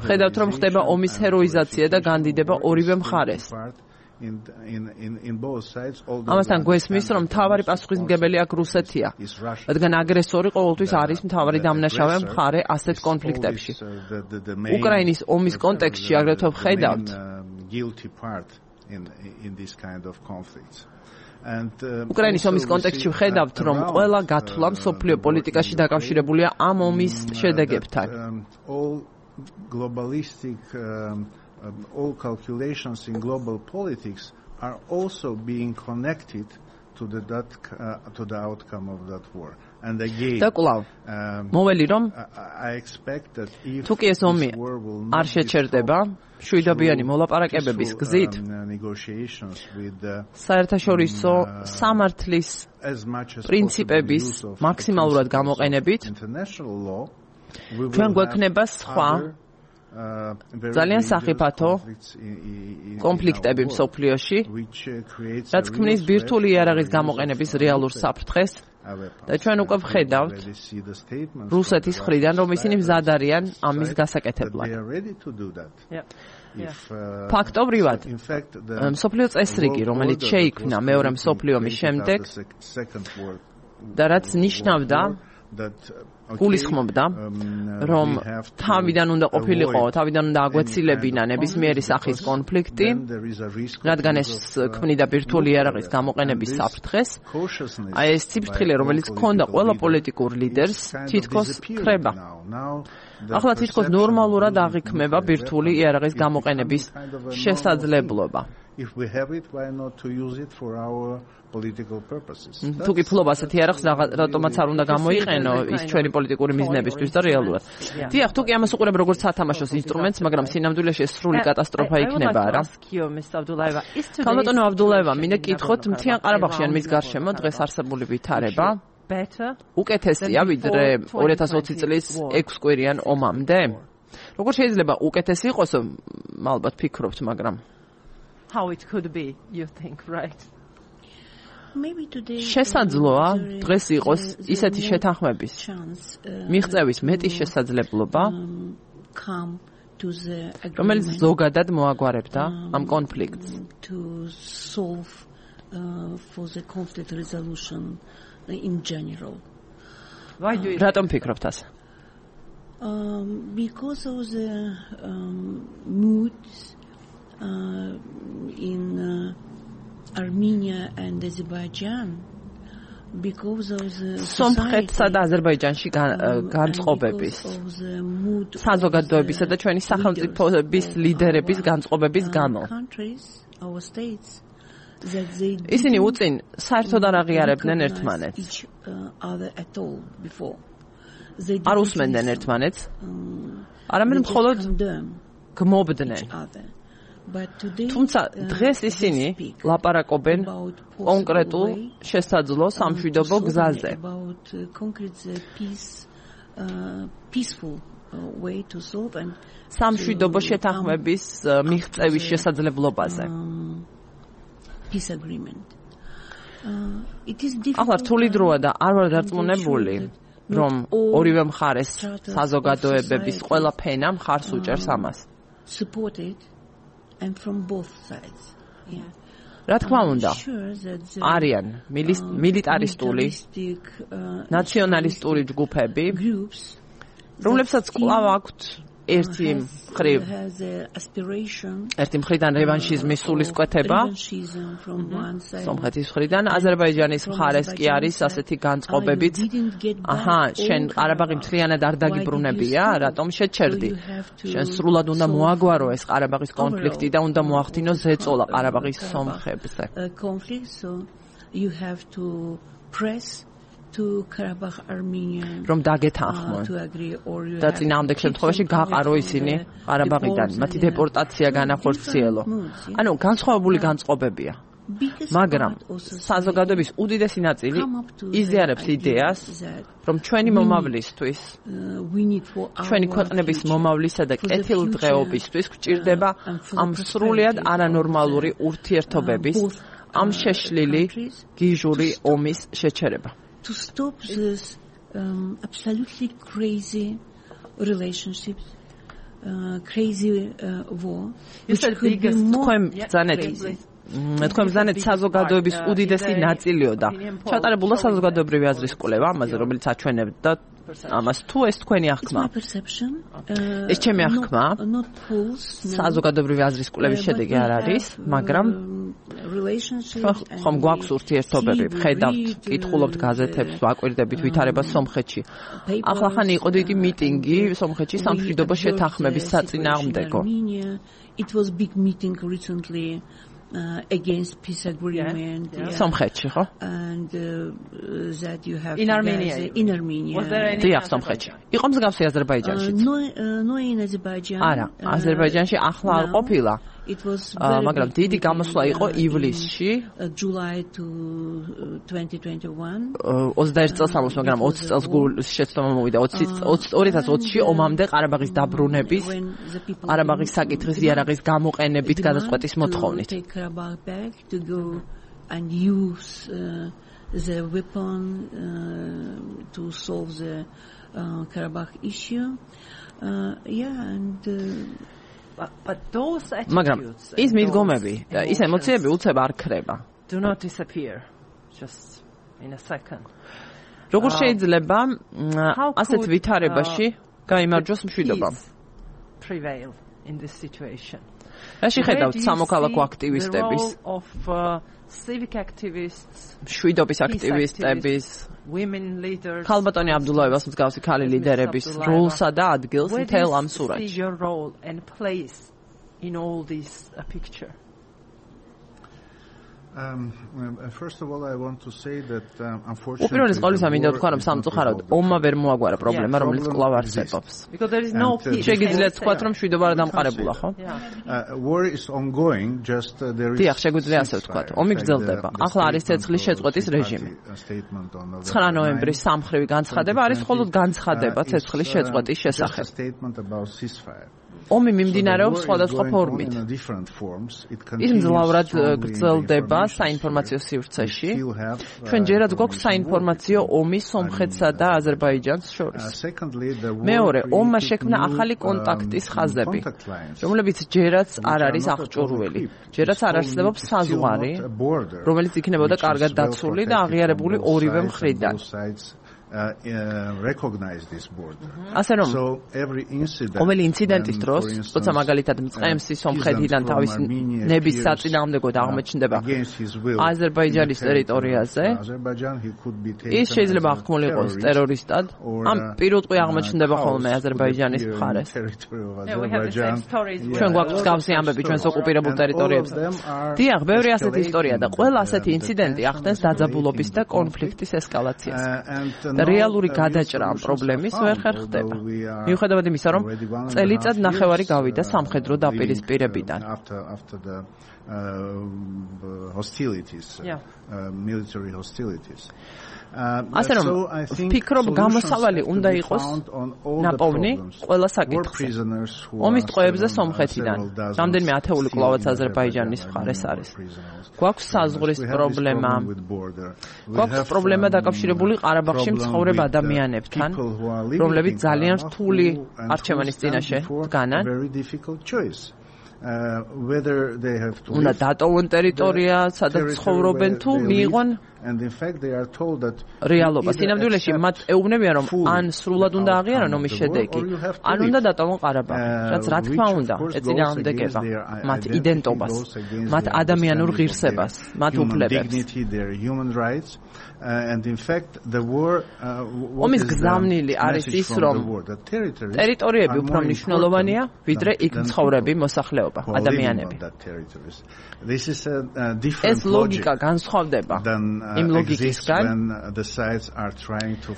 ხედავთ, რომ ხდება ომის ჰეროიზაცია და განდიდება ორივე მხარეს. ამასთან გვესმის, რომ მთავარი პასუხისმგებელი აქ რუსეთია, რადგან აგრესორი ყოველთვის არის მთავარი დამნაშავე მხარე ასეთ კონფლიქტებში. უკრაინის ომის კონტექსტში აგრეთვე ვხედავთ, უკრაინის ომის კონტექსტში ვხედავთ, რომ ყველა გათვლა მსოფლიო პოლიტიკაში დაკავშირებულია ამ ომის შედეგებთან. All calculations in global politics are also being connected to the outcome of that war. And again, მოველი რომ I expect that if თუ კი ეს ომი არ შეჩერდება შვიდობიანი მოლაპარაკებების გზით საერთაშორისო სამართლის პრინციპების მაქსიმალურად გამოყენებით ჩვენ გვექნება სხვა ძალიან სახიფათო კონფლიქტები მსოფლიოში, რაც ქმნის ბირთვული იარაღის გამოყენების რეალურ საფრთხეს და ჩვენ უკვე ვხედავთ რუსეთის მხრიდან, რომ ისინი მზად არიან ამის გასაკეთებლად. ფაქტობრივად, მსოფლიო წესრიგი, რომელიც შეიქმნა მეორე მსოფლიო ომის შემდეგ და რაც ნიშნავდა გულისხმობდა, რომ თავიდან უნდა ყოფილიყო, თავიდან უნდა აგვეცილებინა ნებისმიერი სახის კონფლიქტი, რადგან ეს ქმნიდა ბირთვული იარაღის გამოყენების საფრთხეს. აი ეს ციფრთხილე, რომელიც ჰქონდა ყველა პოლიტიკურ ლიდერს, თითქოს ქრება. ახლა თითქოს ნორმალურად აღიქმება ბირთვული იარაღის გამოყენების შესაძლებლობა. If we have it, why not to use it for our political purposes? თუ კი ფლობა ასეთი იარაღს რატომაც არ უნდა გამოიყენო ის ჩვენი პოლიტიკური მიზნებისთვის და რეალურად. დიახ, თუ კი ამას უყურებ როგორც სათამაშოს ინსტრუმენტს, მაგრამ სინამდვილეში ეს სრული კატასტროფა იქნება, რა. ქალბატონო აბდულაევა, მინდა კითხოთ, მთიან ყარაბაღში ან მის გარშემო დღეს არსებული ვითარება უკეთესია ვიდრე 2020 წლის 6 კვირიან ომამდე? როგორ შეიძლება უკეთესი იყოს, ალბათ ფიქრობთ, მაგრამ how it could be, you think, right? შესაძლოა დღეს იყოს ისეთი შეთანხმების მიღწევის მეტი შესაძლებლობა, რომელიც ზოგადად მოაგვარებდა ამ კონფლიქტს. რატომ ფიქრობთ ასე? Because of the moods in Armenia and Azerbaijan, because of the სომხეთსა და აზერბაიჯანში განწყობების, საზოგადოებისა და ჩვენი სახელმწიფოების ლიდერების განწყობების გამო. ისინი უწინ საერთოდ არ აღიარებდნენ ერთმანეთს. არ უსმენდნენ ერთმანეთს, არამედ მხოლოდ გმობდნენ. თუმცა დღეს ისინი ლაპარაკობენ კონკრეტულ შესაძლო სამშვიდობო გზაზე. სამშვიდობო შეთანხმების მიღწევის შესაძლებლობაზე. ახლა რთული დროა და არ ვარ დარწმუნებული, რომ ორივე მხარეს საზოგადოებების ყველა ფენა მხარს უჭერს ამას. And from both sides. Yeah. რა თქმა უნდა, არიან მილიტარისტული, ნაციონალისტური ჯგუფები, რომლებსაც კვლავ აქვთ ერთი მხრივ ერთი მხრიდან რევანშიზმის სულისკვეთება სომხეთის მხრიდან აზერბაიჯანის მხარეს კი არის ასეთი განწყობებით შენ ყარაბაღი მთლიანად არ დაგიბრუნებია რატომ შეჩერდი შენ სრულად უნდა მოაგვარო ეს ყარაბაღის კონფლიქტი და უნდა მოახდინო ზეწოლა ყარაბაღის სომხებზე you have to press to Karabakh Armenia რომ დაგეთანხმონ და წინააღმდეგ შემთხვევაში გაყარო ისინი ყარაბაღიდან მათი დეპორტაცია განახორციელო ანუ განსხვავებული განწყობებია მაგრამ საზოგადოების უდიდესი ნაწილი იზიარებს იდეას რომ ჩვენი მომავლისთვის ჩვენი ქვეყნების მომავლისა და კეთილდღეობისთვის გვჭირდება ამ სრულიად არანორმალური ურთიერთობების ამ შეშლილი გიჟური ომის შეჩერება to stop this absolutely crazy relationships crazy war თქვენ ბრძანეთ საზოგადოების უდიდესი ნაწილიო და ჩატარებულა საზოგადოებრივი აზრის კვლევა ამაზე რომელიც აჩვენებდა ამას თუ ეს თქვენი აღქმა ეს ჩემი აღქმა საზოგადოებრივი აზრის კვლევის შედეგი არ არის მაგრამ ხომ გვაქვს ურთიერთობები ვხედავთ კითხულობთ გაზეთებს ვაკვირდებით ვითარებას სომხეთში ახლახანი იყო დიდი მიტინგი სომხეთში სამშვიდობო შეთანხმების საწინააღმდეგო it was big meeting recently against peace agreement Somkhetchi, ხო? And that you have in Armenia. Was there any Somkhetchi. იყო მსგავსი აზერბაიჯანში. No in Azerbaijan. არა, აზერბაიჯანში ახლა არ ყოფილა. მაგრამ დიდი გამოსვლა იყო ივლისში July to 2021 21 წელს ამოს მაგრამ 20 წელს შეცდომა მოვიდა 2020-ში ომამდე ყარაბაღის დაბრუნების ყარაბაღის საკითხის იარაღის გამოყენებით გადაწყვეტის მოთხოვნით to go and use the weapon to solve the Karabakh issue and But those attitudes ის მიდგომები და ის ემოციები უცებ არ ქრება. Do not disappear just in a second. როგორ შეიძლება ასეთ ვითარებაში გაიმარჯვოს მშვიდობა? Prevail in this situation. რაში ხედავთ სამოქალაქო აქტივისტების of civic activists, მშვიდობის აქტივისტების, women leaders, ქალბატონი აბდულაევას მსგავსი ქალი ლიდერების როლსა და ადგილს მთელ ამ სურათში. your role and place in all this picture? First of all, I want to say that unfortunately უპირველეს ყოვლისა მინდა ვთქვა რომ სამწუხაროდ ომმა ვერ მოაგვარა პრობლემა რომელიც კვლავ არსებობს. Because there is no peace. შეგიძლიათ თქვათ რომ მშვიდობა არ დამყარებულა, ხო? War is ongoing, just there is დიახ, შეგვიძლია ასე ვთქვათ. ომი გრძელდება. ახლა არის ცეცხლის შეწყვეტის რეჟიმი. 9 ნოემბრის სამხრივი განცხადება არის მხოლოდ განცხადება ცეცხლის შეწყვეტის შესახებ. ომი მიმდინარეობს სხვადასხვა ფორმით. ის მძლავრად გრძელდება საინფორმაციო სივრცეში. ჩვენ ჯერაც გვაქვს საინფორმაციო ომი სომხეთსა და აზერბაიჯანს შორის. მეორე, ომმა შექმნა ახალი კონტაქტის ხაზები, რომლებიც ჯერაც არ არის აღჭურვილი. ჯერაც არ არსებობს საზღვარი, რომელიც იქნებოდა კარგად დაცული და აღიარებული ორივე მხრიდან. Recognize this border. ასე რომ ყოველი ინციდენტის დროს, როცა მაგალითად მწყემსი სომხეთიდან თავისი ნების საწინააღმდეგოდ აღმოჩნდება აზერბაიჯანის ტერიტორიაზე, ის შეიძლება აღქმული იყოს ტერორისტად, ამ პირუტყვი აღმოჩნდება ხოლმე აზერბაიჯანის მხარეს. ჩვენ გვაქვს მსგავსი ამბები ჩვენს ოკუპირებულ ტერიტორიებზე. დიახ, ბევრი ასეთი ისტორია და ყველა ასეთი ინციდენტი ახდენს დაძაბულობის და კონფლიქტის ესკალაციას. რეალური გადაჭრა ამ პრობლემის ვერ ხერხდება. მიუხედავად იმისა, რომ წელიწად ნახევარი გავიდა სამხედრო დაპირისპირებიდან. Military hostilities. ასე რომ ვფიქრობ გამოსავალი უნდა იყოს ნაპოვნი ყველა საკითხზე. ომის ტყვეებზე სომხეთიდან რამდენიმე ათეული კვლავაც აზერბაიჯანის მხარეს არის. გვაქვს საზღვრის პრობლემა. გვაქვს პრობლემა დაკავშირებული ყარაბაღში მცხოვრებ ადამიანებთან, რომლებიც ძალიან რთული არჩევანის წინაშე დგანან. Whether they have to უნდა დატოვონ ტერიტორია, სადაც ცხოვრობენ თუ მიიღონ And in fact, they are told that რეალობა სინამდვილეში მათ ეუბნებიან რომ ან სრულად უნდა აღიარონ ომის შედეგი, ან უნდა დატოვონ ყარაბაღი, რაც რა თქმა უნდა ეწინააღმდეგება მათ იდენტობას, მათ ადამიანურ ღირსებას, მათ უფლებებს. And in fact, the war ომის გზავნილი არის ის, რომ ტერიტორიები უფრო მნიშვნელოვანია, ვიდრე იქ მცხოვრები მოსახლეობა, ადამიანები. This is a different ეს ლოგიკა განსხვავდება იმ ლოგიკისგან,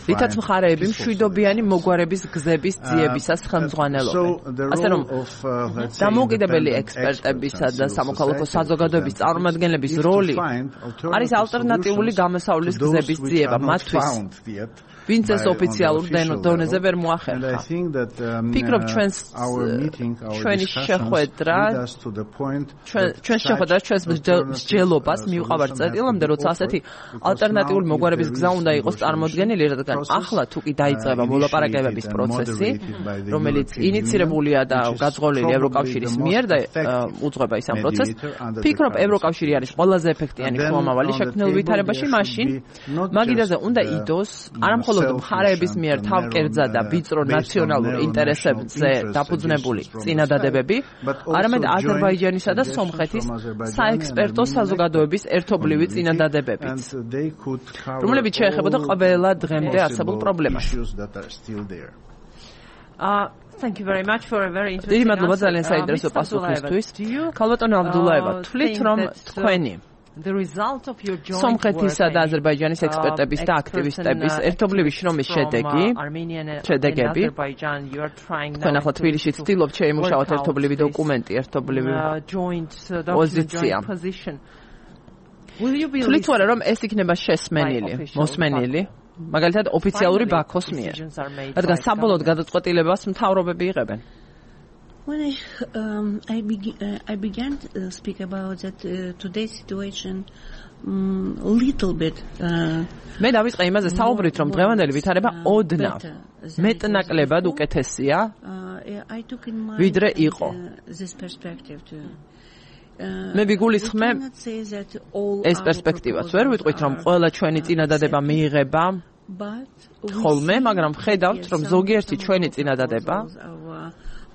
რითაც მხარეები მშვიდობიანი მოგვარების გზების ძიებისას ხელმძღვანელობენ. ასე რომ დამოუკიდებელი ექსპერტებისა და სამოქალაქო საზოგადოების წარმომადგენლების როლი არის ალტერნატიული გამოსავლის გზების ძიება მათთვის, ვინც ეს ოფიციალურ დონეზე ვერ მოახერხა. ფიქრობ ჩვენი შეხვედრა ჩვენს მსჯელობას მივყავართ წერტილამდე, როცა ასეთი ალტერნატიული მოგვარების გზა უნდა იყოს წარმოდგენილი, რადგან ახლა თუ კი დაიწყება მოლაპარაკებების პროცესი, რომელიც ინიცირებულია და გაძღოლილი ევროკავშირის მიერ და უძღვება ის ამ პროცესს, ფიქრობ ევროკავშირი არის ყველაზე ეფექტიანი შუამავალი შექმნილ ვითარებაში, მაშინ მაგიდაზე უნდა იდოს არამხოლოდ მხარეების მიერ თავკერძა და ვიწრო ნაციონალურ ინტერესებზე დაფუძნებული წინადადებები, არამედ აზერბაიჯანისა და სომხეთის საექსპერტო საზოგადოების ერთობლივი წინადადებებიც, რომლებიც შეეხებოდა ყველა დღემდე არსებულ პრობლემას. Thank you very much for a very interesting დიდი მადლობა ძალიან საინტერესო პასუხისთვის. ქალბატონო აბდულაევა, თვლით რომ თქვენი სომხეთისა და აზერბაიჯანის ექსპერტების და აქტივისტების ერთობლივი შრომის შედეგები, თქვენ ახლა თბილისში ცდილობთ შეიმუშაოთ ერთობლივი დოკუმენტი, ერთობლივი პოზიცია. თვლით თუ არა რომ ეს იქნება შესმენილი, მოსმენილი, მაგალითად ოფიციალური ბაქოს მიერ, რადგან საბოლოოდ გადაწყვეტილებას მთავრობები იღებენ. When I began to speak about that today's situation little bit მე დავიწყე იმაზე საუბრით, რომ დღევანდელი ვითარება ოდნავ მეტნაკლებად უკეთესია ვიდრე იყო. მე ვიგულისხმე ეს პერსპექტივაც ვერ ვიტყვით, რომ ყველა ჩვენი წინადადება მიიღება ხოლმე, მაგრამ ხედავთ, რომ ზოგიერთი ჩვენი წინადადება,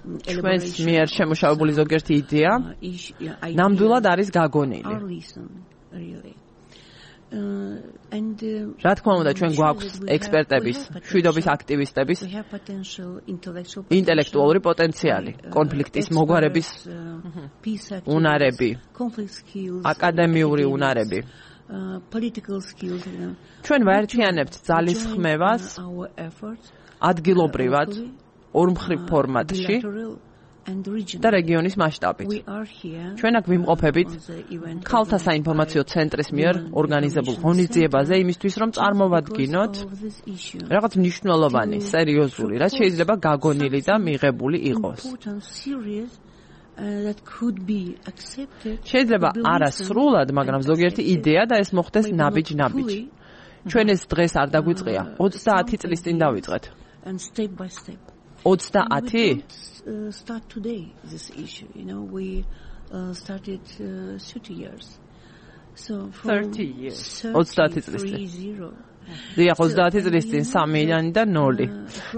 ჩვენს მიერ შემუშავებული ზოგიერთი იდეა ნამდვილად არის გაგონილი. რა თქმა უნდა, ჩვენ გვაქვს ექსპერტების, მშვიდობის აქტივისტების ინტელექტუალური პოტენციალი, კონფლიქტის მოგვარების უნარები, აკადემიური უნარები. ჩვენ ვაერთიანებთ ძალისხმევას ადგილობრივად, ორმხრივ ფორმატში და რეგიონის მასშტაბით. ჩვენ აქ ვიმყოფებით ქალთა საინფორმაციო ცენტრის მიერ ორგანიზებულ ღონისძიებაზე იმისთვის, რომ წარმოვადგინოთ რაღაც მნიშვნელოვანი, სერიოზული, რაც შეიძლება გაგონილი და მიღებული იყოს. შეიძლება არასრულად, მაგრამ ზოგიერთი იდეა და ეს მოხდეს ნაბიჯ-ნაბიჯ. ჩვენ ეს დღეს არ დაგვიწყია, 30 წლის წინ დავიწყეთ. 30? Start today this issue. We started 30 years. So 30 years. 30 წლის წინ. დიახ, 30 წლის წინ 3 და 0.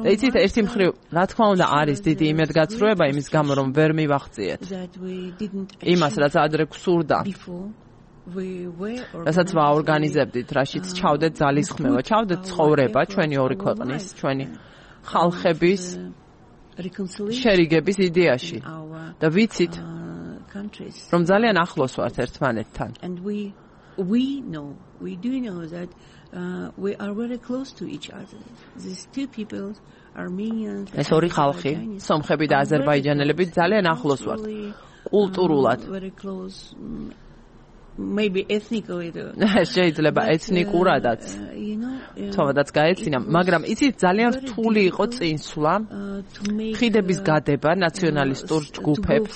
და იცით, ერთი მხრივ, რა თქმა უნდა, არის დიდი იმედგაცრუება იმის გამო, რომ ვერ მივახციეთ იმას, რაც ადრე გვსურდა. რასაც ვაორგანიზებდით, რაშიც ჩავდეთ ძალისხმევა, ჩავდეთ ცხოვრება ჩვენი ორი ქვეყნის, ჩვენი ხალხების შერიგების იდეაში და ვიცით, რომ ძალიან ახლოს ვართ ერთმანეთთან. ეს ორი ხალხი, სომხები და აზერბაიჯანელები ძალიან ახლოს ვართ კულტურულად. Maybe ethnically. შეიძლება ეთნიკურადაც თოვადაც გაეცინა, მაგრამ იცით ძალიან რთული იყო წინსვლა ხიდების გადება ნაციონალისტურ ჯგუფებს,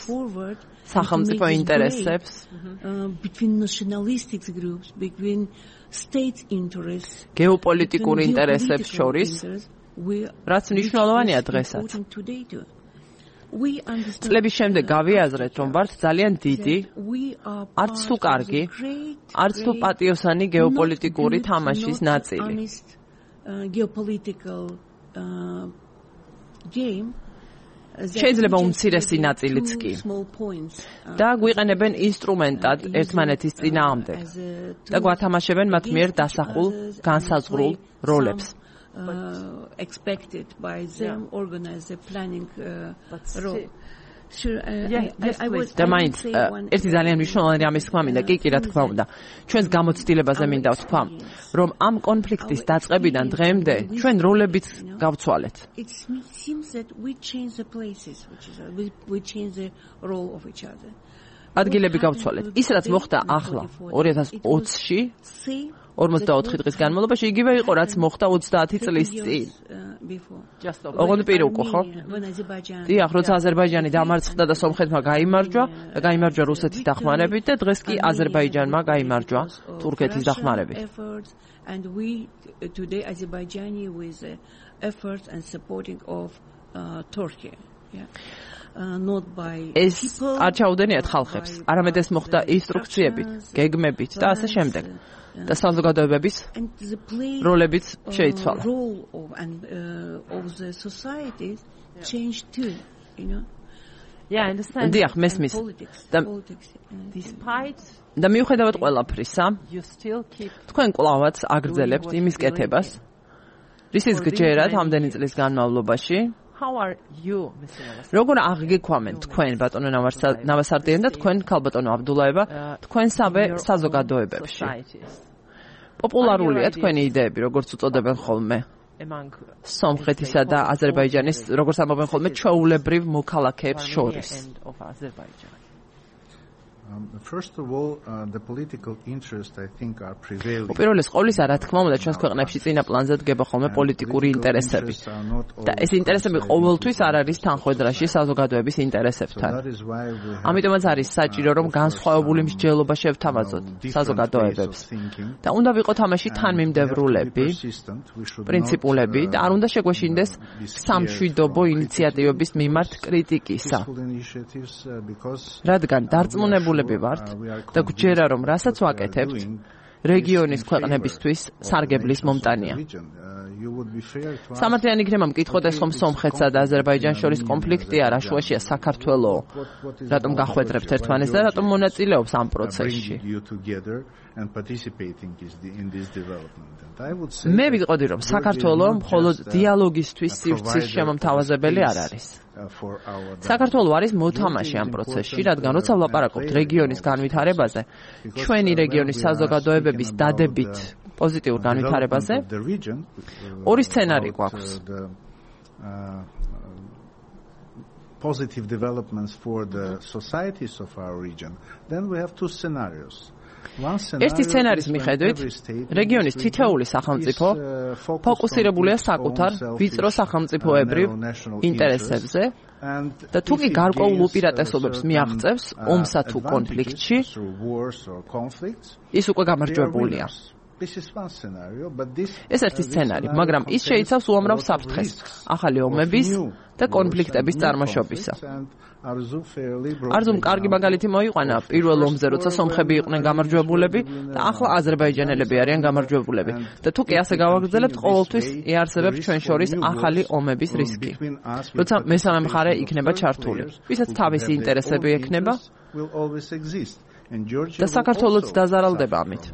სახელმწიფო ინტერესებს, between nationalistic groups, between state interests, გეოპოლიტიკურ ინტერესებს შორის, რაც მნიშვნელოვანია დღესაც. we understand წლების შემდეგ გავიაზრეთ, რომ ვართ ძალიან დიდი, არც თუ კარგი, არც თუ პატიოსანი გეოპოლიტიკური თამაშის ნაწილი. Geopolitical game. შეიძლება უმცირესი ნაწილიც კი. და გვიყენებენ ინსტრუმენტად ერთმანეთის წინააღმდეგ და გვათამაშებენ მათ მიერ დასახულ განსაზღვრულ როლებს. Expected by them organize the planning role. და მაინც ერთი ძალიან მნიშვნელოვანი რამის თქმა მინდა, კი რა თქმა უნდა. ჩვენს გამოცდილებაზე მინდა ვთქვა, რომ ამ კონფლიქტის დაწყებიდან დღემდე ჩვენ როლებიც გავცვალეთ. It seems that we change the places, we change the role of each other. ადგილები გავცვალეთ. ის რაც მოხდა ახლა 2020-ში 44 დღის განმავლობაში იგივე იყო, რაც მოხდა 30 წლის წინ. ოღონდ პირუკო, ხო? დიახ, როცა აზერბაიჯანი დამარცხდა და სომხეთმა გაიმარჯვა და გაიმარჯვა რუსეთის დახმარებით და დღეს კი აზერბაიჯანმა გაიმარჯვა თურქეთის დახმარებით. And we today Azerbaijani with efforts and supporting of Turkey. Yeah. Not by ეს არ ჩაუდენიათ ხალხებს, არამედ ეს მოხდა ინსტრუქციებით, გეგმებით და ასე შემდეგ. და საზოგადოებების როლებიც შეიცვალა. Yeah, I understand. დიახ, მესმის. და მიუხედავად ყველაფრისა, თქვენ კვლავაც აგრძელებთ იმის კეთებას, რისის გჯერათ ამდენი წლის განმავლობაში. How are you, Mr. Navasardian? როგორ აღგექვამენ თქვენ ბატონო ნავასარდიანი და თქვენ ქალბატონო აბდულაევა თქვენსავე საზოგადოებებში? პოპულარულია თქვენი იდეები, როგორც უწოდებენ ხოლმე სომხეთისა და აზერბაიჯანის, როგორც ამბობენ ხოლმე, ჩვეულებრივ მოქალაქეებს შორის. First of all, the political interest, I think, are prevailing. უპირველეს ყოვლისა, რა თქმა უნდა, ჩვენს ქვეყნებში წინა პლანზე დგება ხოლმე პოლიტიკური ინტერესები. და ეს ინტერესები ყოველთვის არ არის თანხვედრაში საზოგადოების ინტერესებთან. ამიტომაც არის საჭირო, რომ განსხვავებული მსჯელობა შევთავაზოთ საზოგადოებებს. და უნდა ვიყოთ ამაში თანმიმდევრულები, პრინციპულები და არ უნდა შეგვეშინდეს სამშვიდობო ინიციატივების მიმართ კრიტიკისა. რადგან დარწმუნებული ვართ და გვჯერა რომ რასაც ვაკეთებთ რეგიონის ქვეყნებისთვის სარგებლის მომტანია. სამართლიანი იქნება მკითხოდეს ხომ სომხეთსა და აზერბაიჯანს შორის კონფლიქტი არა, შუაშია საქართველო. რატომ გახვედრებთ ერთმანეთს და რატომ მონაწილეობს ამ პროცესში? მე ვიტყოდი რომ საქართველო მხოლოდ დიალოგისთვის სივრცის შემომთავაზებელი არ არის. საქართველო არის მოთამაშე ამ პროცესში, რადგან როცა ვლაპარაკობთ რეგიონის განვითარებაზე, ჩვენი რეგიონის საზოგადოებების დადებით პოზიტიურ განვითარებაზე, ორი სცენარი გვაქვს. Positive developments for the societies of our region, then we have two scenarios. ერთი სცენარის მიხედვით, რეგიონის თითოეული სახელმწიფო ფოკუსირებულია საკუთარ ვიწრო სახელმწიფოებრივ ინტერესებზე და თუ კი გარკვეულ უპირატესობებს მიაღწევს ომსა თუ კონფლიქტში, ის უკვე გამარჯვებულია. ეს ერთი სცენარი, მაგრამ ის შეიცავს უამრავ საფრთხეს, ახალი ომების და კონფლიქტების წარმოშობისა. არზუმ კარგი მაგალითი მოიყვანა პირველ ომზე, როცა სომხები იყვნენ გამარჯვებულები და ახლა აზერბაიჯანელები არიან გამარჯვებულები. და თუ კი ასე გავაგრძელებთ, ყოველთვის იარსებებს ჩვენ შორის ახალი ომების რისკი. როცა მესამე მხარე იქნება ჩართული, ვისაც თავისი ინტერესები ექნება და საქართველოც დაზარალდება ამით.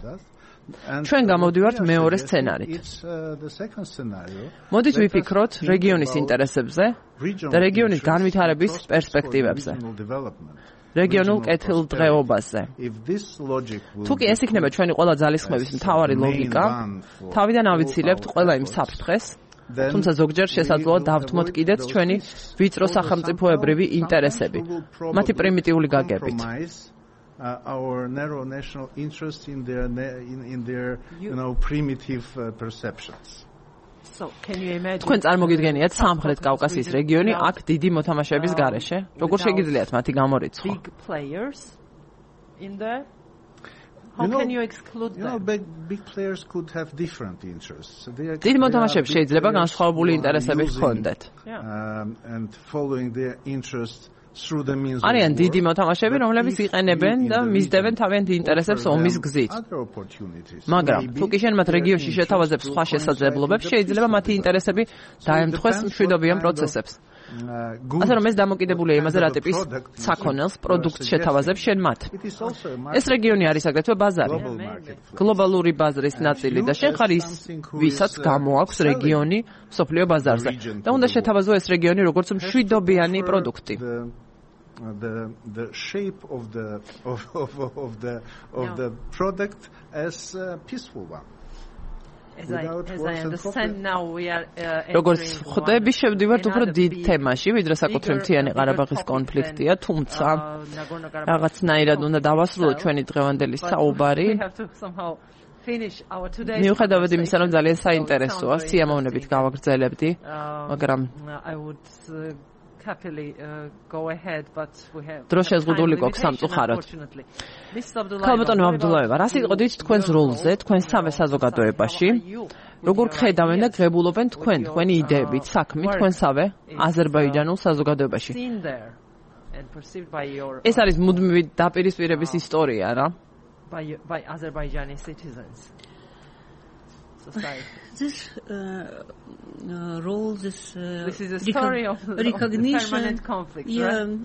ჩვენ გამოვდივართ მეორე სცენარით. მოდით ვიფიქროთ რეგიონის ინტერესებზე და რეგიონის განვითარების პერსპექტივებზე. რეგიონულ კეთილდღეობაზე. თუ კი ეს იქნება ჩვენი ყველა ძალისხმევის მთავარი ლოგიკა, თავიდან ავიცილებთ ყველა იმ საფრთხეს, თუმცა ზოგჯერ შესაძლოა დავთმოთ კიდეც ჩვენი ვიწრო სახელმწიფოებრივი ინტერესები, მათი პრიმიტიული გაგებით. Our narrow national interest in their primitive perceptions. So can you imagine? თქვენ წარმოგიდგენიათ სამხრეთ კავკასიის რეგიონი აქ დიდი მოთამაშეების გარეშე? როგორ შეგიძლიათ მათი გამორიცხვა? Big players in there? How can you exclude them? Big players could have different interests. დიდ მოთამაშეებს შეიძლება განსხვავებული ინტერესები ჰქონდეთ. And following their interests through the means of არიან დიდი მოთამაშეები, რომლებიც იყენებენ და მისდევენ თავიანთ ინტერესებს ომის გზით. მაგრამ თუ კი შენ მათ რეგიონში შეთავაზებს სხვა შესაძლებლობებს, შეიძლება მათი ინტერესები დაემთხვეს მშვიდობიან პროცესებს. ასე რომ ეს დამოკიდებულია იმაზე, რა ტიპის საქონელს, პროდუქტს შეთავაზებს შენ მათ. ეს რეგიონი არის აგრეთვე ბაზარი, გლობალური ბაზრის ნაწილი და შენ ხარ ის, ვისაც გამოაქვს რეგიონი მსოფლიო ბაზარზე და უნდა შეთავაზო ეს რეგიონი როგორც მშვიდობიანი პროდუქტი. The shape of the product as a peaceful one. As I understand now we are როგორც ხვდები, შევდივართ უფრო დიდ თემაში, ვიდრე საკუთრივ მთიანი ყარაბაღის კონფლიქტია, თუმცა რაღაცნაირად უნდა დავასრულოთ ჩვენი დღევანდელი საუბარი. მიუხედავად იმისა, რომ ძალიან საინტერესოა, სიამოვნებით გავაგრძელებდი, მაგრამ დრო შეზღუდული გვაქვს სამწუხაროდ. ქალბატონო აბდულაევა, რას იტყოდით თქვენს როლზე, თქვენს სამე საზოგადოებაში? როგორ ხედავენ და ღებულობენ თქვენი იდეებით, საქმით, თქვენსავე აზერბაიჯანულ საზოგადოებაში? ეს არის მუდმივი დაპირისპირების ისტორია რა. By Azerbaijani citizens. This role, this is a story of recognition, permanent conflict,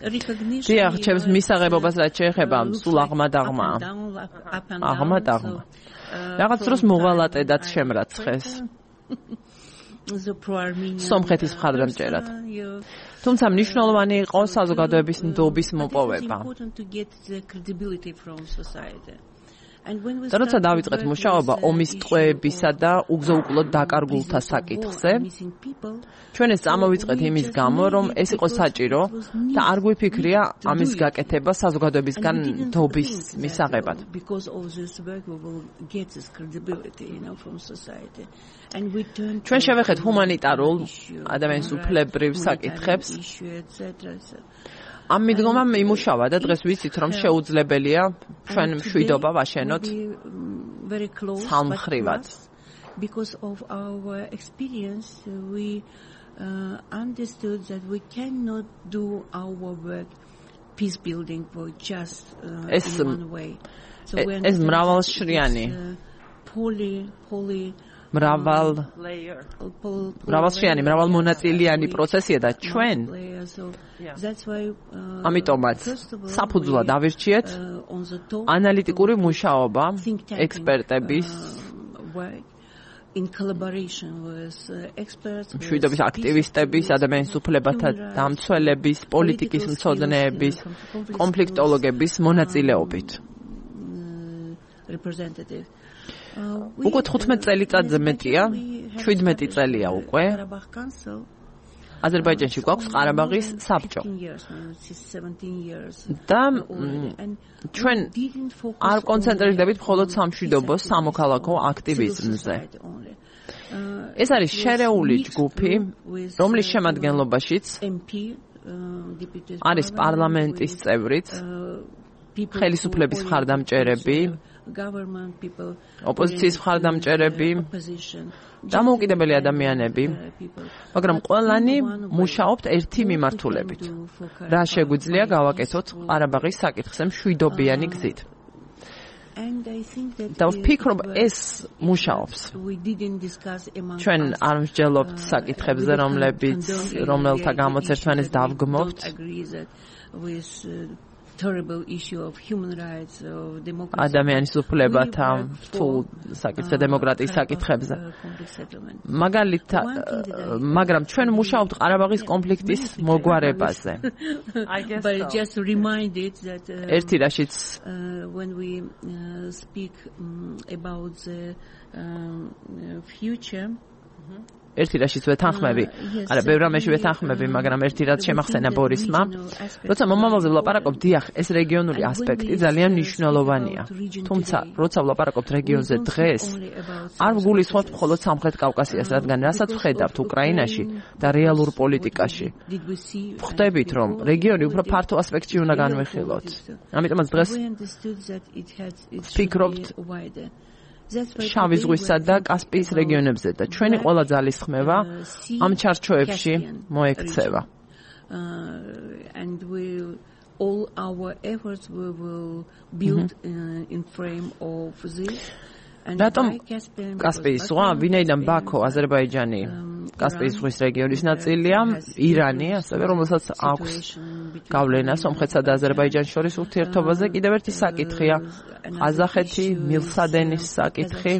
recognition. დიახ, ჩემს მისაღებობას რაც შეეხება, სულ აღმად-აღმა. აღმად-აღმა. რაღაც დროს მოღალატედაც შემრაცხეს. სომხეთის მხარდამჭერად. თუმცა მნიშვნელოვანი იყო საზოგადოების ნდობის მოპოვება. და როცა დავიწყეთ მუშაობა ომის ტყვეებისა და უგზო-უკვლოდ დაკარგულთა საკითხზე, ჩვენ ეს წამოვიწყეთ იმის გამო, რომ ეს იყო საჭირო და არ გვიფიქრია ამის გაკეთება საზოგადოებისგან ნდობის მისაღებად. ჩვენ შევეხეთ ჰუმანიტარულ ადამიანის უფლებრივ საკითხებს. ამ მიდგომამ იმუშავა და დღეს ვიცით, რომ შეუძლებელია ჩვენ მშვიდობა ვაშენოთ სამხრივად. Because of our experience, we understood that we cannot do our work peace building for just in one way. So we ეს მრავალშრიანი მრავალმონაწილიანი პროცესია და ჩვენ ამიტომაც საფუძვლად ავირჩიეთ ანალიტიკური მუშაობა ექსპერტების in collaboration with experts, მშვიდობის აქტივისტების, ადამიანის უფლებათა დამცველების, პოლიტიკის მცოდნეების, კონფლიქტოლოგების მონაწილეობით. Representative. უკვე 15 წელიწადზე მეტია, 17 წელია უკვე. აზერბაიჯანში გვაქვს ყარაბაღის საბჭო. და ჩვენ არ კონცენტრირდებით მხოლოდ სამშვიდობო სამოქალაქო აქტივიზმზე. ეს არის შერეული ჯგუფი, რომლის შემადგენლობაშიც არის პარლამენტის წევრიც, ხელისუფლების მხარდამჭერები, ოპოზიციის მხარდამჭერები, დამოუკიდებელი ადამიანები, მაგრამ ყველანი მუშაობთ ერთი მიმართულებით. რა შეგვიძლია გავაკეთოთ ყარაბაღის საკითხზე მშვიდობიანი გზით. და ვფიქრობ ეს მუშაობს. ჩვენ არ მსჯელობთ საკითხებზე, რომელთა გამოც ერთმანეთს დავგმობთ. Terrible issue of human rights, of democracy. ადამიანის უფლებათა რთულ საკითხზე, დემოკრატიის საკითხებზე. მაგრამ ჩვენ მუშაობთ ყარაბაღის კონფლიქტის მოგვარებაზე. But just reminded that ერთი რაშიც when we speak about the future, ერთი რაშიც ვეთანხმები, არა, ბევრ რამეში ვეთანხმები, მაგრამ ერთი რაც შემახსენა ბორისმა, როცა მომავალზე ვლაპარაკობ, დიახ, ეს რეგიონული ასპექტი ძალიან მნიშვნელოვანია. თუმცა, როცა ვლაპარაკობთ რეგიონზე დღეს, არ ვგულისხმობთ მხოლოდ სამხრეთ კავკასიას, რადგან რასაც ვხედავთ უკრაინაში და რეალურ პოლიტიკაში, ვხვდებით, რომ რეგიონი უფრო ფართო ასპექტში უნდა განვიხილოთ. ამიტომაც დღეს ვფიქრობთ შავი ზღვისა და კასპიის რეგიონებზე და ჩვენი ყველა ძალისხმევა ამ ჩარჩოებში მოექცევა. All our efforts we will build in frame of this. რატომ კასპიის ზღვა, ვინაიდან ბაქო, აზერბაიჯანი, კასპიის ზღვის რეგიონის ნაწილია, ირანი, ასევე რომელსაც აქვს გავლენა სომხეთსა და აზერბაიჯანს შორის ურთიერთობაზე, კიდევ ერთი საკითხია ყაზახეთი, მილსადენის საკითხი.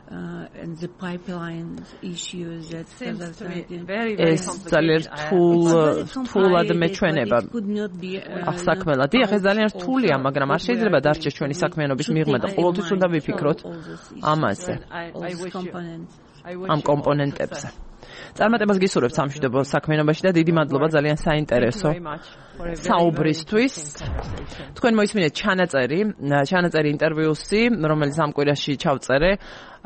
And the pipeline issues that ეს ძალიან რთულად მეჩვენება საქმელა. დიახ, ეს ძალიან რთულია, მაგრამ არ შეიძლება დარჩეს ჩვენი საქმიანობის მიღმა და ყოველთვის უნდა ვიფიქროთ ამაზე, ამ კომპონენტებზე. წარმატებას გისურვებთ სამშვიდობო საქმიანობაში და დიდი მადლობა ძალიან საინტერესო საუბრისთვის. თქვენ მოისმინეთ ჩანაწერი ინტერვიუსი, რომელიც ამ კვირაში ჩავწერე.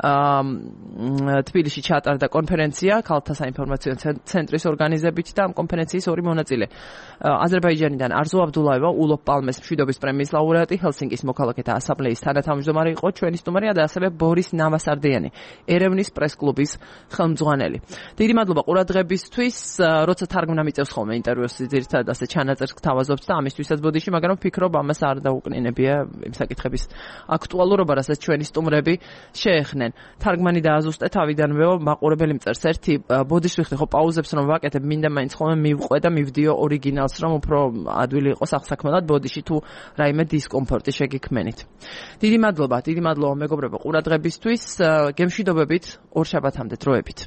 თბილისში ჩაატარდა კონფერენცია ქალთა საინფორმაციო ცენტრის ორგანიზებით და ამ კონფერენციის ორი მონაწილე. აზერბაიჯანიდან არზუ აბდულაევა, ულოფ პალმეს მშვიდობის პრემიის ლაურეატი, ჰელსინკის მოქალაქეთა ასამბლეის თანათავმჯდომარე იყო ჩვენი სტუმარია და ასევე ბორის ნავასარდიანი, ერევნის პრესკლუბის ხელმძღვანელი. დიდი მადლობა ყურადღებისთვის, როცა თარგმნა მიწევს ხოლმე ინტერვიუს ძირითადად ასე ჩანაწერს გთავაზობთ და ამისთვისაც ბოდიში, მაგრამ ვფიქრობ ამას არ დაუკნინებია იმ საკითხების აქტუალურობა, რასაც ჩვენი სტუმრები შეეხნენ. თარგმანი დააზუსტე თავიდანვეო მაყურებელი მწერს ერთი ბოდიში ვიხდი ხო პაუზებს რომ ვაკეთებ მინდა მაინც ხოლმე მივყვე და მივდიო ორიგინალს რომ უფრო ადვილი იყოს აღსაქმელად ბოდიში თუ რაიმე დისკომფორტი შეგიქმენით. დიდი მადლობა მეგობრებო ყურადღებისთვის. გემშვიდობებით ორ შაბათამდე დროებით.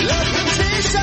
Love temptation,